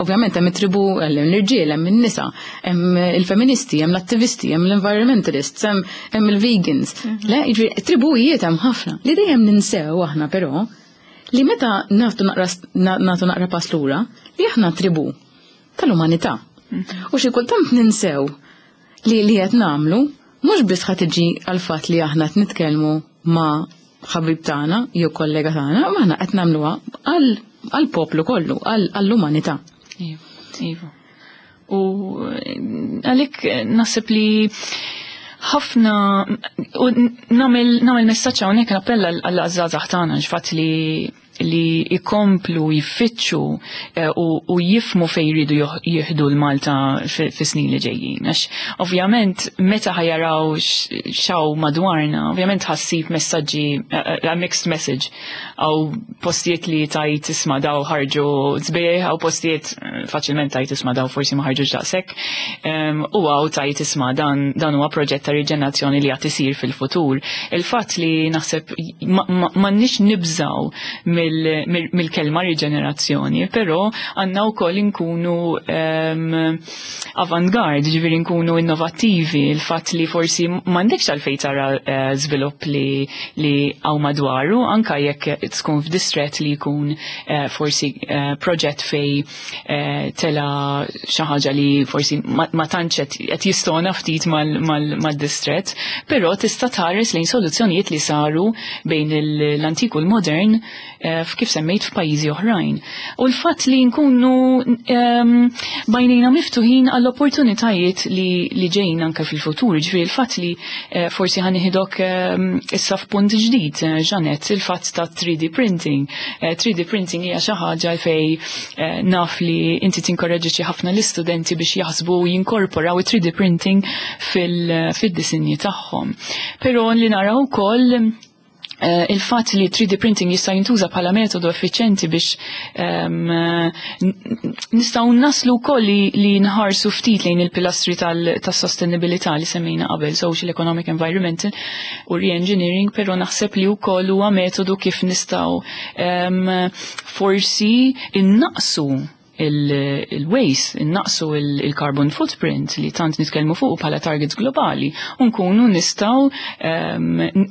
ovvjament hemm it-tribu, hemm l-irġiel, hemm in-nisa, hemm il-feministi, hemm l-attivisti, hemm l-environmentalists, hemm il-vegans. Le, jiġifieri tribujiet hemm ħafna. Li dejjem ninsew aħna però li meta nagħtu naqra pass lura li aħna tribu tal-umanità. U xi kultant ninsew li qed nagħmlu mhux biss ħa tiġi għal fatt li aħna qed nitkellmu ma' ħabib tagħna jew kollega tagħna, ma aħna qed nagħmluha għall-poplu kollu, għall-umanità. Iva. U għalik naħseb li ħafna u nagħmel messaġġ hawnhekk, nappella għall-żgħażagħ tagħna ġfatt li ikomplu jiffittxu u jifhmu fejn jridu jieħdu l-Malta fi snin li ġejjin. Għax ovvjament meta ħa jaraw x'hawn madwarna, ovvjament ħa ssib messaġġi, a mixed message, għaw postijiet li tajt isma' daw ħarġu sbieħ, għaw postijiet faċilment tajt isma' daw forsi ma ħarġu daqshekk, u għaw tajt isma' dan huwa proġett ta' riġenerazzjoni li għad isir fil-futur. Il-fatt li naħseb m'għandniex nibżaw mill-kelma riġenerazzjoni, però għandna wkoll inkunu avant-garde, ġifieri nkunu innovattivi, il-fatt li forsi m'għandekx għalfejn tara żvilupp li hawn madwaru, anka jekk tkun f'distret li jkun forsi proġett fej tela xi ħaġa li forsi ma tantx qed jistona ftit mal-distret, però tista' tħares lejn soluzzjonijiet li saru bejn l-antik u l-modern, kif semmejt, f'pajjiżi oħrajn. U l-fatt li nkunu b'għajnejna miftuħin għall-opportunitajiet li ġejjin anke fil-futur, ġifieri il-fatt li forsi ħa nieħdok issa f'punt ġdid, Janet, il-fatt ta' 3D printing. 3D printing hija xi ħaġa fej naf li inti tinkoraġġi ħafna l-istudenti biex jaħsbu u jinkorporaw 3D printing fil-disinji tagħhom. Però li naraw ukoll il-fatt li 3D printing jista' jintuża bħala metodu effiċjenti biex nistgħu naslu wkoll li nħarsu ftit lejn il-pilastri tas-sostenibilità li semmejna qabel, social, economic, environmental u re-engineering, però naħseb li wkoll huwa metodu kif nistgħu forsi innaqsu il-waste, innaqsu il-carbon footprint li tant nitkellmu fuq bħala targets globali, u nkunu nistgħu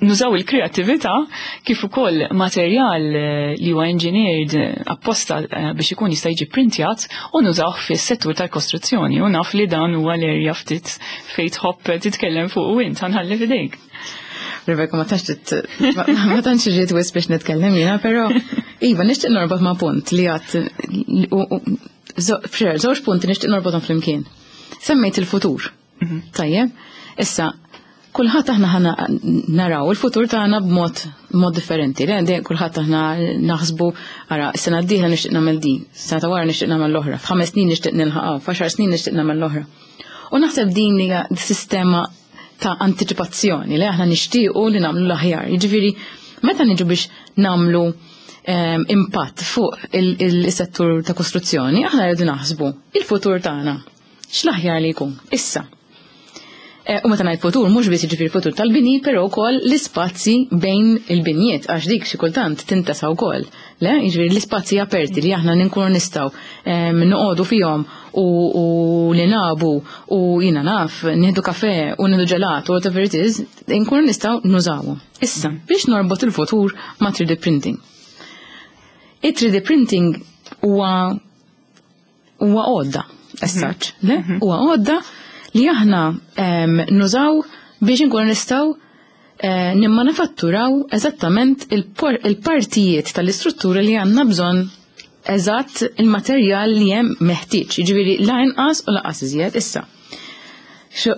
nużaw il-kreatività kif ukoll materjal li huwa engineered apposta biex ikun jista' jiġi printjat u nużawh fis-settur tal-kostruzzjoni, u naf li dan huwa l-area ftit fejn tħobb titkellem fuq u int, ħa nħalli f'idejk. Rebecca, ma tantx ġiet wisq biex nitkellem jiena, però iva, nixtieq norbot ma' punt li għat żewġ punti nixtieq norbothom flimkien. Semmejt il-futur. Tajjeb, issa, Kulħadd aħna ħana naraw il-futur tagħna b'mod mod differenti. Le, kulħadd aħna naħsbu ara s-sena d-dieħla nixtieq nagħmel din, sena ta' wara nixtieq nagħmel l-oħra, f'ħames snin nixtieq nilħaqha, f'għaxar snin nixtieq nagħmel l-oħra. U naħseb din hija sistema ta' antiċipazzjoni li aħna nixtiequ li nagħmlu l-aħjar. Jiġifieri meta niġu biex nagħmlu impatt fuq il-settur ta' kostruzzjoni, aħna rridu naħsbu il-futur tagħna. X'l-aħjar li jkun? Issa. U meta ngħid futur mhux biss jiġifieri futur tal-bini, però wkoll l-ispazji bejn il-binjiet għax dik xi kultant tintesa wkoll. Le, jiġifieri l-ispazji aperti li aħna nkunu nistgħu noqogħdu fihom u li nabu u jiena naf nieħdu kafe u nieħdu ġelat u whatever it is, nkunu nistgħu nużawhom. Issa, biex norbot il-futur ma' 3D printing. Il-3D printing huwa għodda, as such, le? Huwa għodda li aħna nużaw biex inkunu nistgħu nimmanifatturaw eżattament il-partijiet tal-istruttura li għandna bżonn, eżatt il-materjal li hemm meħtieġ, jiġifieri la inqas u lanqas iżjed issa.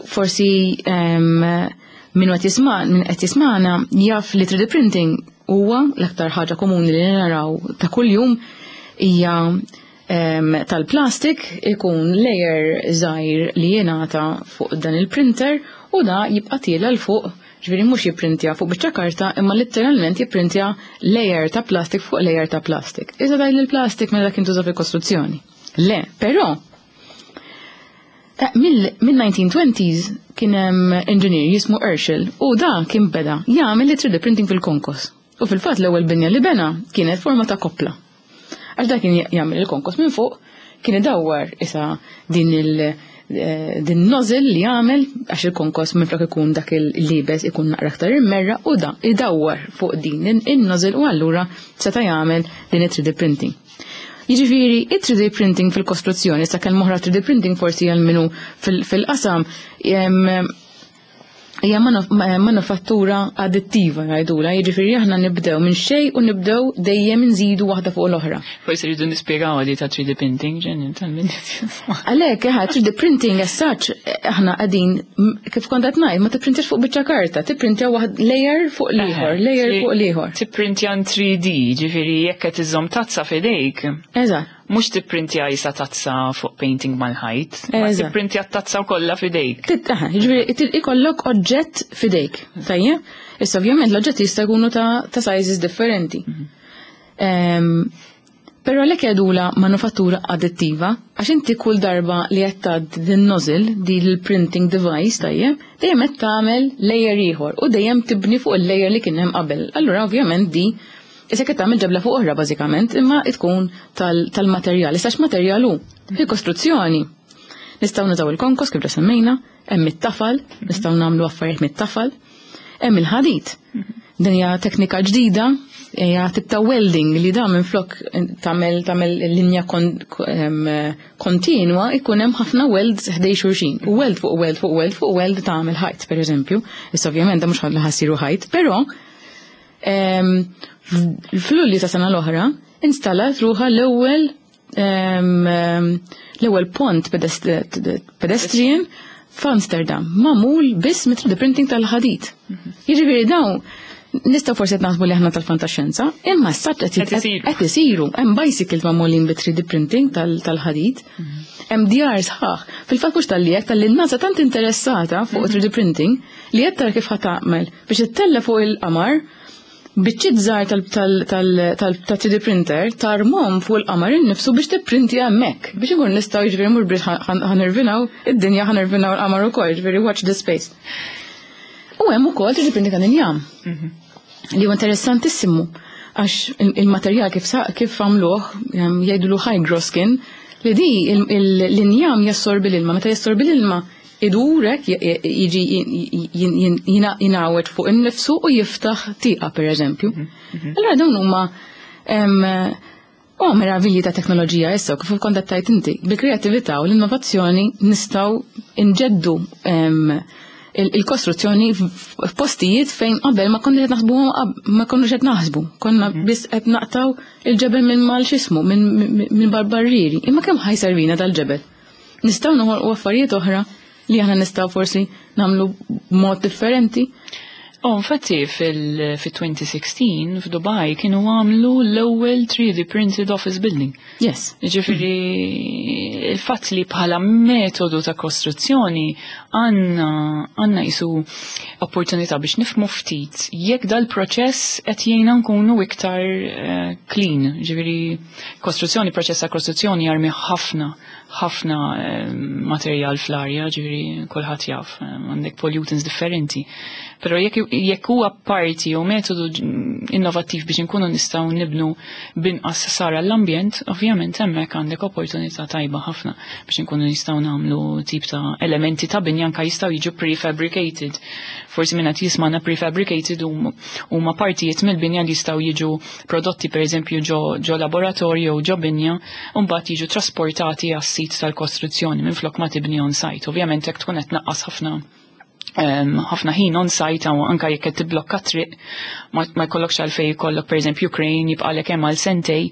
Forsi min qed jisma' min qed jisma'na jaf li 3D printing huwa l-aktar ħaġa komuni li naraw ta' kuljum hija tal-plastik, ikun layer żgħir li jingħata fuq dan il-printer u da jibqa' tiela' 'l fuq, ġifieri mhux jipprintja fuq biċċa karta imma letteralment jipprintja layer ta' plastik fuq layer ta' plastik. Iżda daj il-plastik mela dak jintuża fil-kostruzzjoni. Le, però mill-1920s kien hemm engineer jismu Urschel u da kien beda jagħmel li 3D printing fil-konkos. U fil-fatt l-ewwel binja li bena kienet forma ta' koppla. Għax da kien jagħmel il-konkos minn fuq, kien idawwar isa din il din nozzle li jagħmel għax il-konkos minflok ikun dak il-libes ikun naqra aktar immerra u da idawwar fuq din in-nozzle u allura seta' jagħmel din it-3D printing. Jiġifieri it-3D printing fil-kostruzzjoni, sa kemm oħra 3D printing forsi għal minu fil-qasam hija manufattura addittiva ngħidula, jiġifieri aħna nibdew minn xejn u nibdew dejjem nżidu waħda fuq l-oħra. Forsi rridu nispjegaw għadi ta' 3D printing, ġenni tal-min. Għalhekk, 3D printing as such, aħna qegħdin kif kont qed ngħid, ma tipprintix fuq biċċa karta, tipprintja waħd layer fuq l-ieħor, layer fuq l-ieħor. Tipprintja 3D, ġifieri jekk qed iżżomm tazza f'idejk. Mhux tipprintja isa tazza fuq painting mal-ħajt, ma tipprintja tazza kollha f'idejk. Jiġifieri ikollok oġġett f'idejk, tajjeb? Issa ovvjament l-oġġetti jista' jkunu ta' sizes differenti. Però għalhekk jgħidula manufattura addittiva, għax inti kull darba li qed tgħaddi din nozzle, din il-printing device, tajjeb, dejjem qed tagħmel layer ieħor u dejjem tibni fuq il-layer li kien hemm qabel. Allura ovvjament di issa qed tagħmel ġebla fuq oħra bażikament, imma tkun tal-materjal. Issa x'materjal hu? Fil-kostruzzjoni. Nistgħu nużaw il-konkos kif semmejna, hemm it-tafal, nistgħu nagħmlu affarijiet mit-tafal, hemm il-ħadid. Din hija teknika ġdida, hija tip ta' welding li da minflok tagħmel linja kontinwa ikun hemm ħafna welds ħdej xulxin. U weld fuq weld fuq weld fuq weld tagħmel ħajt, pereżempju. Issa ovvjament da mhux ħa ssiru ħajt, però fl-Lulju ta' sena l-oħra installat ruħha l-ewwel pont pedestrian f'Amsterdam, magħmul biss mit 3D printing tal-ħadid. Jiġifieri dawn nistgħu forsi qed naħsbu li aħna tal-fantaxxenza, imma s-satt qed isiru. Hemm bicycles magħmulin bi 3D printing tal-ħadid. Hemm djar sħaħ. Fil-fatt mhux tal-li hekk tal-li n-NASA tant interessata fuq 3D printing li qed tara kif ħa tagħmel biex ittella' fuq il-qamar biċċiet żgħar tal-3D printer tarmhom fuq il-qamar innifsu biex tipprinti hemmhekk biex inkun nistgħu jiġifieri mhux biex ħa nirvinaw id-dinja, ħa nirvinaw il-qamar ukoll, jiġifieri watch the space. U hemm ukoll 3D printing tal-injam. Li huwa interessantissimu għax il-materjal kif għamluh, jgħidulu hygroskin, li di l-injam jassorbi l-ilma, meta jassorbi l-ilma idurek jiġi jingħawed fuq innifsu u jiftaħ tieqa per eżempju. Allora dawn huma meravilji ta' teknoloġija issa kif kont qed tgħid inti, bil-kreattività u l-innovazzjoni nistgħu nġeddu il-kostruzzjoni f'postijiet fejn qabel ma konniex qed naħsbuhom, ma konniex qed naħsbu. Konna biss qed naqtaw il-ġebel minn mal x'ismu, minn barbarrieri. Imma kemm ħa jservina dal-ġebel? Nistgħu noħolqu affarijiet oħra. li aħna nistgħu forsi nagħmlu b'mod differenti. Oh, infatti fil-2016 f'Dubai kienu għamlu l-ewwel 3D printed office building. Yes. Ġifieri il-fatt li bħala metodu ta' kostruzzjoni għandna jisu opportunità biex nifmu ftit jekk dal-proċess qed jgħinna nkunu iktar clean. Ġifieri kostruzzjoni, proċess ta' kostruzzjoni jarmi ħafna ħafna materjal fl-arja, ġifieri kulħadd jaf, għandek pollutants differenti. Però jekk huwa parti u metodu innovattiv biex nkunu nistgħu nibnu binqas ħsara l-ambjent, ovvjament hemmhekk għandek opportunità tajba ħafna biex nkunu nistgħu nagħmlu tip ta' elementi ta' binja anke jistgħu jiġu prefabricated. Forsi minn qed jismana prefabricated huma partijiet mill-binja li jistgħu jiġu prodotti pereżempju ġo laboratorju jew ġo binja u mbagħad jiġu trasportati għas-sit tal-kostruzzjoni minflok ma tibni on site. Ovvjament jekk tkun qed tnaqqas ħafna ħin on site u anka jekk qed tibblokka triq ma jkollokx għalfejn jkollok pereżempju crane jibqalek hemm għal sentej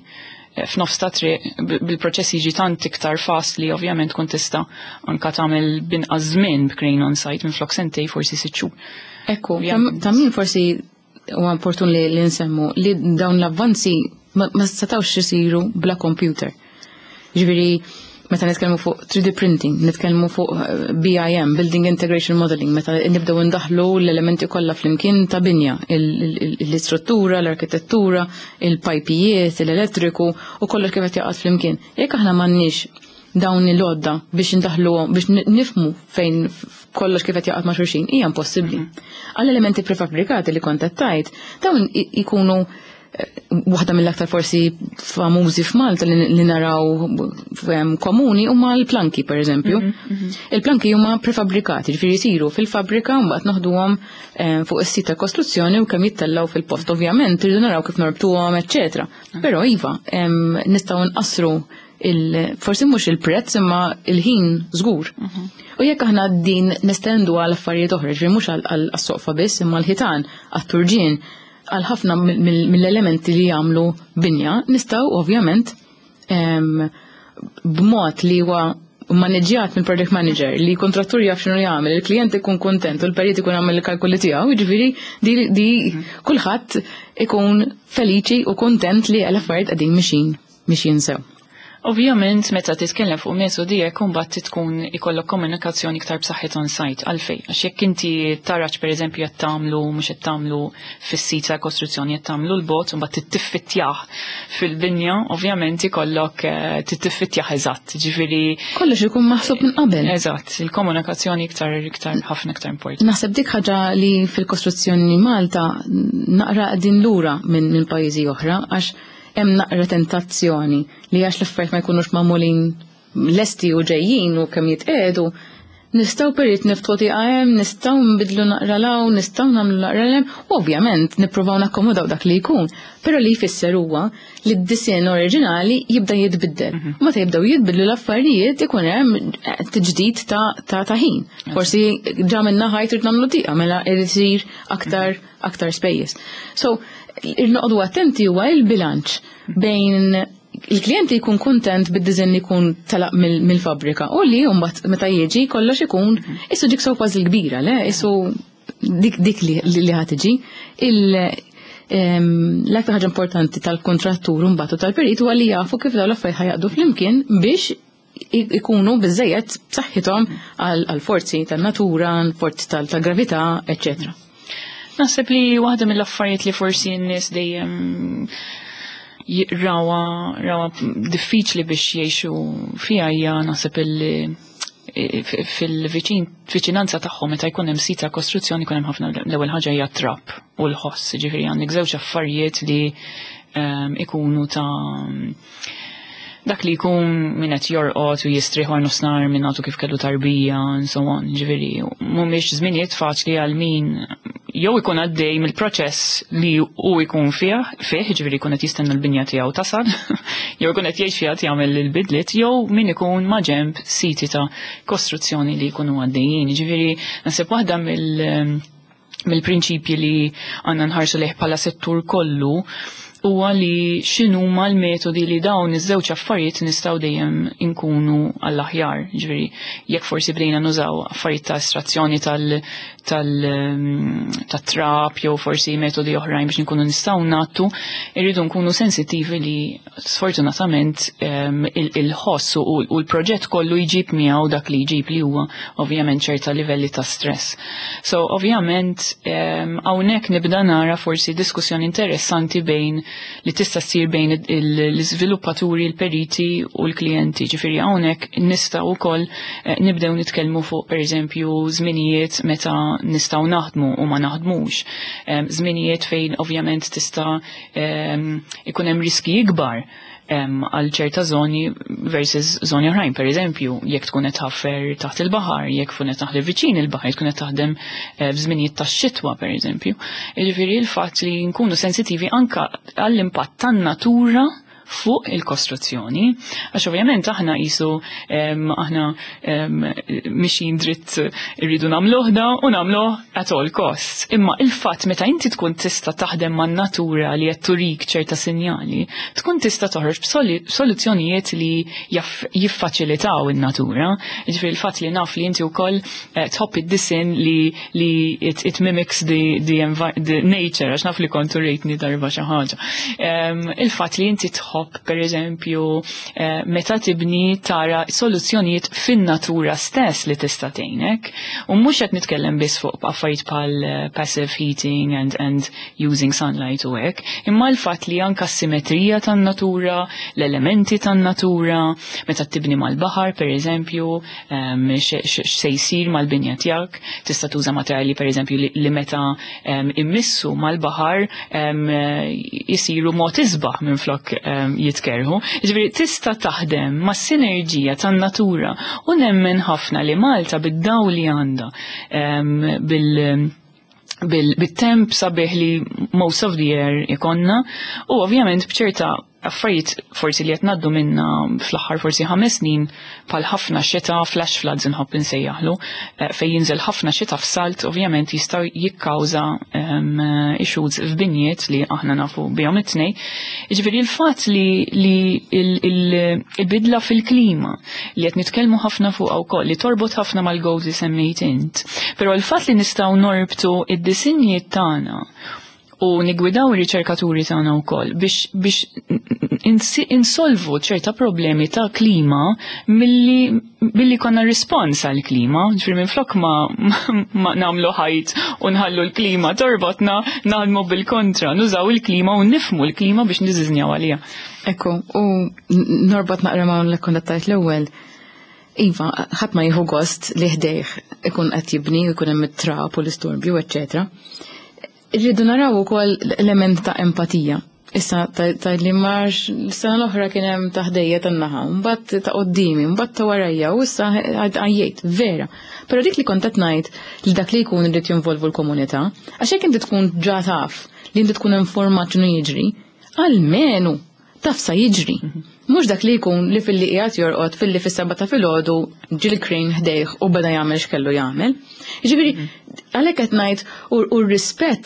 f'nofs ta' triq, bil-proċess jiġi tant iktar fast li ovvjament tkun tista' anka tagħmel binqas żmien b'crane on site minflok sentej forsi 6 xhur. Ekku, ta' min forsi huwa opportun li nsemmu li dawn l-avvanzi ma setgħux isiru bla computer. Ġifieri meta nitkellmu fuq 3D printing, nitkellmu fuq BIM, Building Integration Modeling, meta nibdew indaħlu l-elementi kollha flimkien ta' binja, l-istruttura, l-arkitettura, il-pajpijiet, l-elettriku u kollox kif qed jaqgħod flimkien. Jekk aħna m'għandniex dawn il-għodda biex indaħluhom, biex nifmu fejn kollox kif qed jaqgħod ma' xulxin, hija impossibbli. Għall elementi prefabbrikati li kont qed tgħid, dawn ikunu waħda mill-aktar forsi famużi f'Malta li naraw komuni huma l-planki per eżempju. Il-planki huma prefabbrikati, ġifieri jsiru fil-fabbrika u mbagħad noħduhom fuq is-sit ta' kostruzzjoni u kemm jittellgħu fil-post. Ovvjament irridu naraw kif norbtuhom, eċċetera. Però iva, nistgħu nqassru forsi mhux il-prezz imma il-ħin żgur. U jekk aħna din nestendu għal affarijiet oħra, ġifieri mhux għas-soqfa biss imma l-ħitan, għat-turġien, għal ħafna mill-elementi li jagħmlu binja, nistgħu ovvjament b'mod li huwa maneġġjat minn project manager, li kontrattur jaf x'inhu jagħmel, il-klijent ikun kontent u l-perit ikun għamel il-kalkoli tiegħu, jiġifieri di kulħadd ikun feliċi u kontent li l-affarijiet qegħdin mixin sew. Ovvjament, meta titkellem fuq metodi hekk imbagħad tkun ikollok komunikazzjoni iktar b'saħħit on site għalfejn. Għax jekk inti taraġ pereżempju qed tagħmlu mhux qed tagħmlu fis-sit ta' kostruzzjoni qed tagħmlu l-bot u mbagħad tittiffitjah fil-binja, ovvjament ikollok tittiffitjah eżatt. Ġifieri kollox ikun maħsub minn qabel. Eżatt, il-komunikazzjoni iktar ħafna iktar importanti. Naħseb dik ħaġa li fil-kostruzzjoni Malta naqra qegħdin lura minn pajjiżi oħra għax hemm naqra tentazzjoni li għax l-affarijiet ma jkunux magħmulin lesti u ġejjin u kemm jitqiegħdu, nistgħu perit niftħu tieqa hemm, nistgħu nbidlu naqra 'l hawn, nistgħu nagħmlu naqra 'l hemm, u ovvjament nippruvaw nakkomodaw dak li jkun, però li jfisser huwa li d-disinn oriġinali jibda jitbiddel. U meta jibdew jitbidlu l-affarijiet ikun hemm tiġdid ta' ħin. Forsi ġa minna ħajt irid nagħmlu tieqa, mela irid isir aktar spejjeż. So, il-noqogħdu attenti huwa il-bilanċ bejn il-klijenti jkun kontent bid-design li jkun telaq mill-fabrika u li mbagħad meta jiġi kollox ikun issu jigsaw puzzle kbira, le? Issu dik li ħa tiġi. L-aktar ħaġa importanti tal-kontrattur mbagħad u tal-perit huwa li jafu kif dawn l-affarijiet ħajaqdu flimkien biex ikunu biżejjed b'saħħithom għal forzi tan-natura, forzi tal-gravità, eċċetera. Naħseb li waħda mill-affarijiet li forsi n-nies dejjem rawa diffiċli biex jgħixu fiha hija naħseb fil-viċin, viċinanza tagħhom meta jkun hemm sit ta' kostruzzjoni jkun hemm ħafna l-ewwel ħaġa hija trab u l-ħoss, ġifieri għandek żewġ affarijiet li ikunu ta' dak li jkun min qed jorqod u jistrieħ wara nofsinhar minn għadu kif kellu tarbija and so on, ġifieri mhumiex żminijiet faċli għal min jew ikun għaddej mill-proċess li hu jkun fih, ġifieri jkun qed jistenna l-binja tiegħu tasal, jew ikun qed jgħix fiha jagħmel il-bidliet, jew min ikun ma' ġenb siti ta' kostruzzjoni li jkunu għaddejjin. Ġifieri naħseb waħda mill-prinċipji li għandna nħarsu lejh bħala settur kollu huwa li x'inhuma l-metodi li dawn iż-żewġ affarijiet nistgħu dejjem inkunu għall-aħjar. Ġifieri jekk forsi bdejna nużaw affarijiet ta' estrazzjoni tat-trap jew forsi metodi oħrajn biex nkunu nistgħu nagħtu, irridu nkunu sensittivi li sfortunatament il-ħoss u l-proġett kollu jġib miegħu dak li jġib li huwa ovvjament ċerta livelli ta' stress. So ovvjament hawnhekk nibda nara forsi diskussjoni interessanti bejn li tista' ssir bejn l-iżviluppaturi, l-periti u l-klijenti. Ġifieri hawnhekk nistgħu wkoll nibdew nitkellmu fuq pereżempju żminijiet meta nistgħu naħdmu u ma naħdmux. Żminijiet fejn ovvjament tista' ikun hemm riski ikbar għal ċerta zoni versus zoni oħrajn. Per eżempju, jekk tkun qed tħaffer taħt il-baħar, jekk tkun qed taħdem viċin il-baħar, tkun qed taħdem f'żminijiet tax-xitwa pereżempju. Jiġifieri l-fatt li nkunu sensitivi anka għall-impatt tan-natura fuq il-kostruzzjoni, għax ovvjament aħna qisu aħna mixin dritt irridu nagħmluh da u nagħmluh at all costs. Imma il-fatt meta inti tkun tista' taħdem man-natura li qed turik ċerta sinjali, tkun tista' toħroġ b'soluzzjonijiet li jiffaċilitaw in-natura. Jiġifieri il-fatt li naf li inti wkoll tħobb id-disinn li it mimics the nature, għax naf li kont urejtni darba xi ħaġa. Il-fatt li inti tħobb per eżempju meta tibni tara soluzzjonijiet fin-natura stess li tista' tgħinek. U mhux qed nitkellem biss fuq affarijiet bħal passive heating and using sunlight u hekk, imma l-fatt li anka s-simetrija tan-natura, l-elementi tan-natura, meta tibni mal-baħar per eżempju, x'se jsir mal-binja tiegħek, tista' tuża materjali per eżempju li meta immissu mal-baħar jisiru mod isbaħ minn flok jitkerħu. Jiġifieri tista' taħdem ma' sinerġija tan-natura u nemmen ħafna li Malta bid-dawl li għandha bit-temp sabiħ li most of the year ikonna u ovvjament b'ċerta affarijiet forsi li qed ngħaddu minna fl-aħħar forsi 5 snin bħal ħafna xita, flash floods inħobb insejjaħlu, fejn jinżel ħafna xita f'salt ovvjament jistgħu jikkawża issues f'binjiet li aħna nafu bihom it-tnejn. Jiġifieri l-fatt li il-bidla fil-klima li qed nitkellmu ħafna fuqha wkoll li torbot ħafna mal-goals li semmejt int, però l-fatt li nistgħu norbtu id-disinji tagħna u nigwidaw ir-riċerkaturi tagħna wkoll biex insolvu ċerta problemi ta' klima milli konna rispons għal klima, ġifieri minflok ma nagħmlu ħajt u nħallu l-klima torbotna, naħdmu bil-kontra, nużaw il-klima u nifmu l-klima biex niżiżnjaw għalija. Ekku, u norbot naqra ma' l kondattajt l-ewwel. Iva, ħadd ma jieħu gost li ħdejh ikun qed jibni, ikun hemm it-trab u l-istorbju, eċċetera. Irridu naraw ukoll l-element ta' empatija. Issa ta' li marx l-sena l-oħra kien hemm ta' ħdejja tan-naħa, mbagħad ta' qoddimi, mbagħad ta' warajja, u issa għajjejt, vera. Però dik li kont qed ngħid li dak li jkun irid jinvolvu l-komunità, għax jekk inti tkun ġa taf li inti tkun informat x'inhu jiġri, almenu taf sa jiġri. Mhux dak li jkun li filli qiegħed jorqod filli fis-7 ta' filgħodu ġie l-crane ħdejh u beda jagħmel x'kellu jagħmel. Jiġifieri għalhekk qed ngħid u r-rispett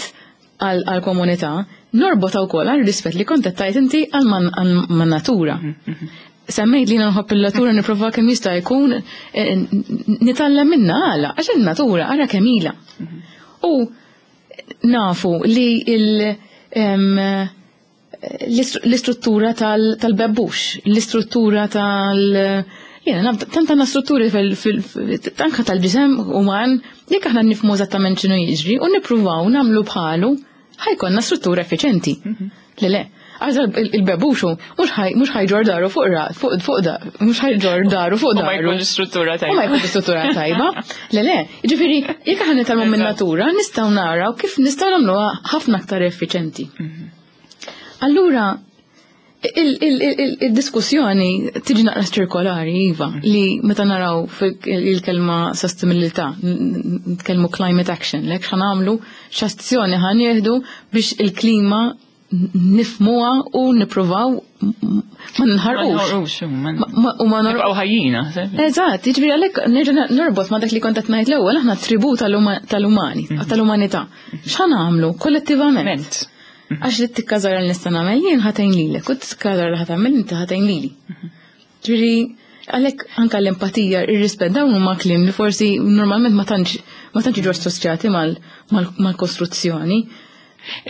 għall-komunità norbota wkoll għal rispett li kont qed tgħid inti għal man-natura. Semmejt li nħobb il-natura nipprova kemm jista' jkun nitgħallem minnha għala, għax in-natura ara kemm ilha. U nafu li l-istruttura tal-bebbux, l-istruttura tal- Jena, naf, tant għandna strutturi anka tal-ġisem uman, jekk aħna nifhmu eżattament x'inhu jiġri u nippruvaw nagħmlu bħalu, ħa jkollna struttura effiċenti. Le, le, għax il-bebuxu mhux ħa jġorr daru fuq ra, fuq, fuq da, mhux ħa jġorr daru fuq U ma daru. jkunx struttura tajba. U ma jkunx struttura tajba. Le, le, jiġifieri, jekk aħna nitgħallmu minn natura, nistgħu naraw kif nistgħu nagħmluha ħafna aktar effiċenti. Allura, il-diskussjoni tiġi naqra ċirkolari, iva, li meta naraw il-kelma sostenibilità, nitkellmu climate action, lek x'ħa nagħmlu, x'azzjoni ħa nieħdu biex il-klima nifmuha u nippruvaw ma nħarqux. Ma nħarqux, ma U ma nor- nibqgħu ħajjina, sebi. Eżatt, jiġifieri għalhekk nerġa' norbot ma' dak li kont qed ngħid l-ewwel, aħna tribù tal-umani, tal-umanità. X'ħa nagħmlu kollettivament? Ment. Għax li t-tikka żgħira li nista' nagħmel jien ħa tgħin lilek u t-tikka żgħira li ħa tagħmel inti ħa tgħin lili. Ġifieri għalhekk anke l-empatija, ir-rispett dawn huma kliem li forsi normalment ma tantx jiġu assoċjati mal-kostruzzjoni.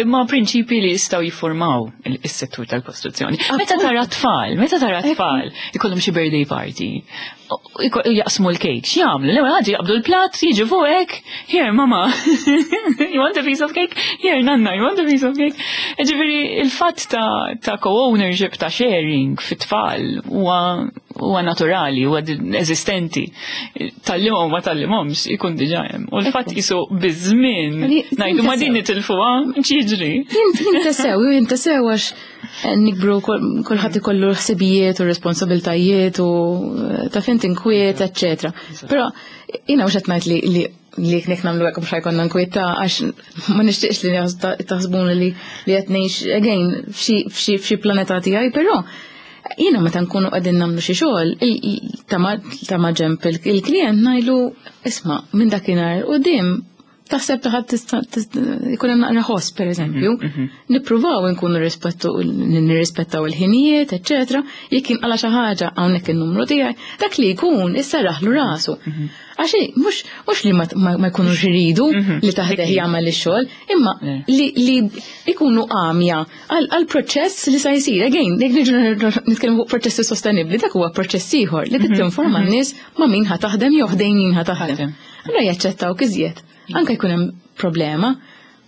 Imma prinċipi li jistgħu jiffurmaw is-settur tal-kostruzzjoni. Meta tara tfal, ikollhom xi birthday party, jaqsmu l-cake, x'jagħmlu? L-ewwel ħaġa jaqbdu l-platt, jiġu fuqek, "Here, mama, you want a piece of cake? Here, nanna, you want a piece of cake?" Ġifieri il-fatt ta' co-ownership, ta' sharing fit-tfal huwa naturali, huwa eżistenti. Tgħallimhom ma tgħallimhomx, ikun diġà hemm. U l-fatt jisu biż-żmien ngħidu ma din nitilfuha, x'jiġri? Jintesew għax nikbru, kulħadd ikollu ħsibijiet u responsabiltajiet u ta' fint inkwiet, eccetera. Però jiena mhux qed ngħid li jekk nagħmlu hekk mhux ħa jkollna nkwiet ta', għax ma nixtieqx li taħsbuni li qed ngħix again f'xi planeta tiegħi, però jiena meta nkunu qegħdin nagħmlu xi xogħol ta' ma ġemp il-klient ngħidlu, "Isma', minn dakinhar u dim taħseb taħat ikun hemm naqra ħoss, pereżempju, nippruvaw nkunu rispettu nirrispettaw il-ħinijiet, eċċetera. Jekk inqala xi ħaġa, hawnhekk in-numru tiegħi," dak li jkun issarraħlu rasu. Għax mhux li ma jkunux iridu li taħdeh jagħmel ix-xogħol, imma li jkunu għamja għal proċess li sa jsir. Again, jekk niġu nitkellmu fuq proċessi sostenibbli, dak huwa proċess ieħor li trid tinforma n-nies ma' min ħa taħdem jew ħdejn min ħa taħdem. Allura jaċċettaw iżjed. Anka jkun hemm problema,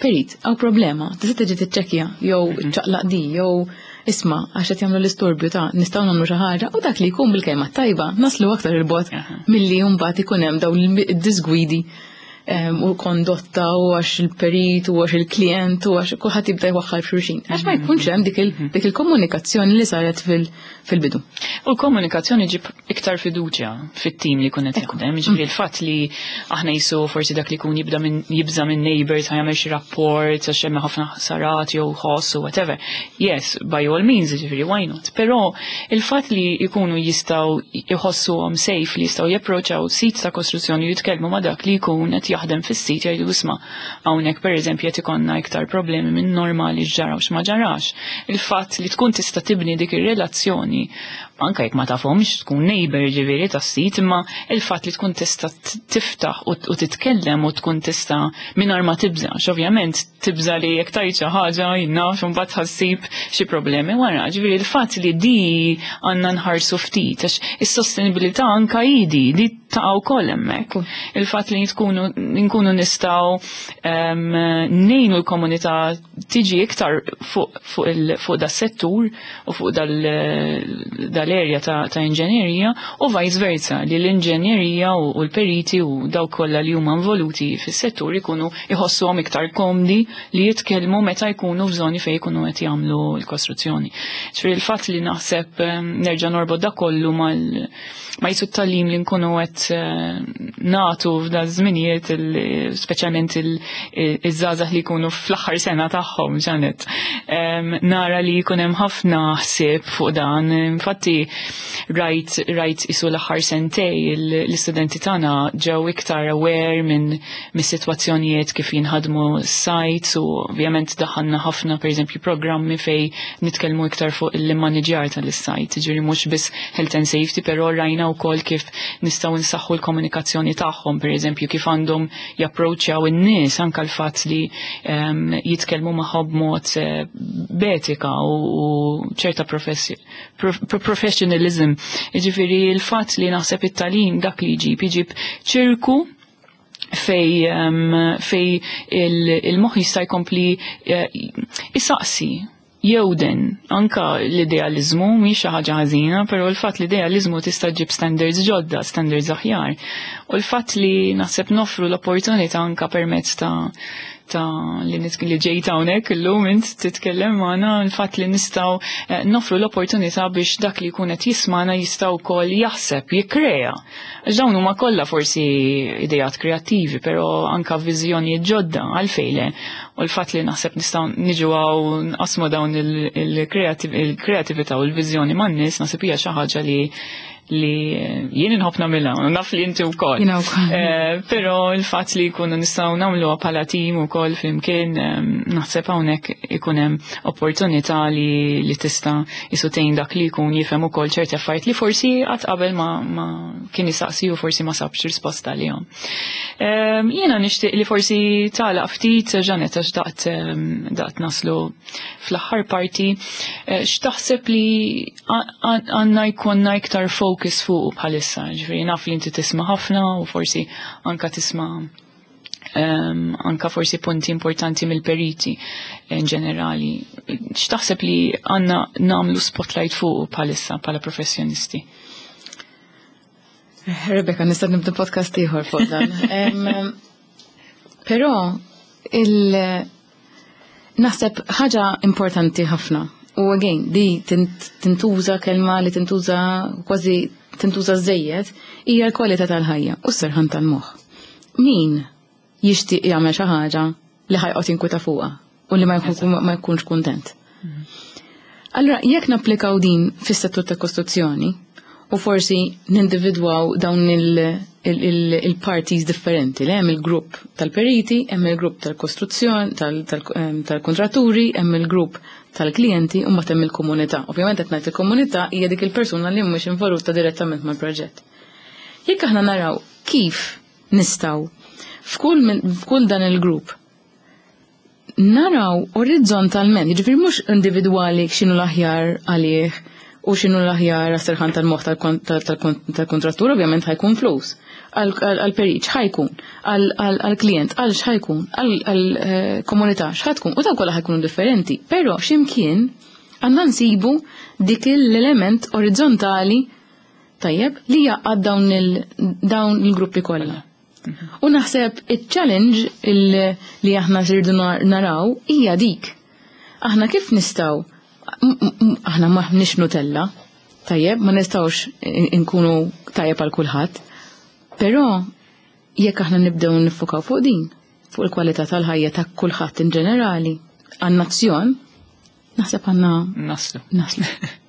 "Perit, hawn problema, tista' tiġi tiċċekkja jew ċaqlaq di jew isma' għax qed jagħmlu l-istorbju ta' nistgħu nagħmlu xi ħaġa?" U dak li jkun bil-kelma tajba naslu aktar il-bogħod milli mbagħad ikun hemm dawn id-disgwidi u kondotta u għax il-perit u għax il-klient u għax kulħadd jibda jwaħħal f'xulxin. Għax ma jkunx hemm dik il-komunikazzjoni li saret fil-bidu. U l-komunikazzjoni ġib iktar fiduċja fit-tim li kunet jaħdem. Ġifieri il-fatt li aħna jisu forsi dak li jkun jibda minn jibża minn neighbors ħa jagħmel xi rapport għax hemm ħafna ħsarat jew ħoss u whatever. Yes, by all means, ġifieri why not? Però il-fatt li jkunu jistgħu jħossuhom safe li jistgħu japproċċaw sit ta' kostruzzjoni, jitkellmu ma' dak li jkun qed jaħdem fis-sit, jgħidu, "Isma', hawnhekk pereżempju qed ikollna iktar problemi minn normali, x'ġara u x'ma ġarax." Il-fatt li tkun tista' tibni dik ir-relazzjoni anka jekk ma tafhomx, tkun neighbor ġifieri tas-sit, imma il-fatt li tkun tista' tiftaħ u titkellem u tkun tista' mingħajr ma tibża', ovvjament tibża' li jekk tgħid xi ħaġa jinnaf imbagħad ħassib xi problemi wara. Ġifieri il-fatt li di għandna nħarsu ftit għax is-sostenibilità anka idi di taqa' wkoll hemmhekk. Il-fatt li tkunu nkunu nistgħu ngħinu l-komunità tiġi iktar fuq da settur u fuq dal-area ta' inġenjerija u vice versa li l-inġenjerija u l-periti u dawk kollha li huma involuti fis-settur ikunu iħossuhom iktar komdi li jitkellmu meta jkunu f'żoni fejn jkunu qed jagħmlu l-kostruzzjoni. Ġifieri il-fatt li naħseb nerġa' norbot da kollu mal ma jisu t-tagħlim li nkunu qed nagħtu f'da żminijiet, speċjalment iż-żgħażagħ li jkunu fl-aħħar sena tagħhom, Janet. Nara li jkun hemm ħafna ħsieb fuq dan. Infatti rajt isu l-aħħar sentej l-istudenti tagħna ġew iktar aware minn mis-sitwazzjonijiet kif jinħadmu sites u ovvjament daħanna ħafna pereżempju programmi fej nitkellmu iktar fuq il-manager tal-site, ġifieri mhux biss health and safety, però rajna wkoll kif nistgħu nsaħħu l-komunikazzjoni tagħhom, pereżempju kif għandhom japproċċjaw in-nies, anke l-fatt li jitkellmu magħhom b'mod b'etika u ċerta professionalism. Jiġifieri il-fatt li naħseb it-tagħlim dak li jġib ċirku fej il-moħħ jista' jkompli isaqsi jewden anka l-idealizmu mhix xi ħaġa ħażina, però l-fatt li idealizmu tista' ġib standards ġodda, standards aħjar. U l-fatt li naħseb nofru l-opportunità anka permezz ta' li ġejt hawnhekk illum int titkellem magħna, l-fatt li nistgħu nofru l-opportunità biex dak li jkun qed jismana jista' wkoll jaħseb, jikkrea. Għax dawn huma kollha forsi ideat kreattivi, però anka viżjonijiet ġodda għalfejn. U l-fatt li naħseb nistgħu niġu hawn nqasmu dawn il-kreatività u l-viżjoni man-nies naħseb hija xi ħaġa li li jien inħobb nagħmilha, naf li inti wkoll. Jiena wkoll. Però il-fatt li jkunu nistgħu nagħmluha bħala tim ukoll flimkien, naħseb hawnhekk ikun hemm opportunità li tista' jisu tgħin dak li jkun jifhem ukoll ċerti affarijiet li forsi qatt qabel ma kien jistaqsi u forsi ma sabx risposta għalihom. Jiena nixtieq li forsi tagħlaq ftit, Jeanette, għax daqt naslu fl-aħħar parti, x'taħseb li għandna jkollna iktar focus fuq bħalissa, ġifieri naf li inti tisma' ħafna u forsi anka tisma' anka forsi punti importanti mill-periti in ġenerali. X'taħseb li għandna nagħmlu spotlight fuq bħalissa bħala professjonisti? Rebecca, nista' nibda podcast ieħor fuq dan. Però naħseb ħaġa importanti ħafna. U again, di tintuża kelma li tintuża kważi tintuża żejjed, hija l-kwalità tal-ħajja u s-serħan tal-moħħ. Min jixtieq jagħmel xi ħaġa li ħa joqgħod jinkweta fuqha u li ma jkunx kuntent? Allura, jekk napplikaw din fis-settur ta' kostruzzjoni u forsi nindividwaw dawn il-parties differenti, li hemm il-grupp tal-periti, hemm il-grupp tal-kostruzzjoni, tal-kontratturi, hemm il-grupp tal-klijenti u mbagħad hemm il-komunità. Ovvjament qed ngħid il-komunità hija dik il-persuna li mhux involuta direttament mal-proġett. Jekk aħna naraw kif nistgħu f'kull dan il-grupp naraw orizzontalment, jiġifieri mhux individwali x'inhu l-aħjar għalih u x'inhu l-aħjar għas-serħan tal-moħħ tal-kontrattur, ovvjament ħa jkun flus. Għal-perit x'ħa jkun, għal-klient, għal x'ħa jkun, għal-komunità x'ħa tkun, u dawn kollha ħa jkunu differenti. Però x'imkien għandna nsibu dik l-element orizzontali tajjeb li jaqgħad dawn il-gruppi kollha. U naħseb il-challenge li aħna rridu naraw hija dik. Aħna kif nistgħu, aħna m'aħniex Nutella, tajjeb, ma nistgħux nkunu tajjeb għal kulħadd, però jekk aħna nibdew nifokaw fuq din, fuq il-kwalità tal-ħajja ta' kulħadd in ġenerali, għan-nazzjon, naħseb għandna Naslu. Naslu.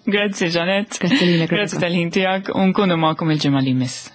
Grazzi, Jeanette. Grazzi lilek, Grazzi Rebecca. tal-ħin tiegħek u nkunu magħkom il-ġimgħa li jmiss.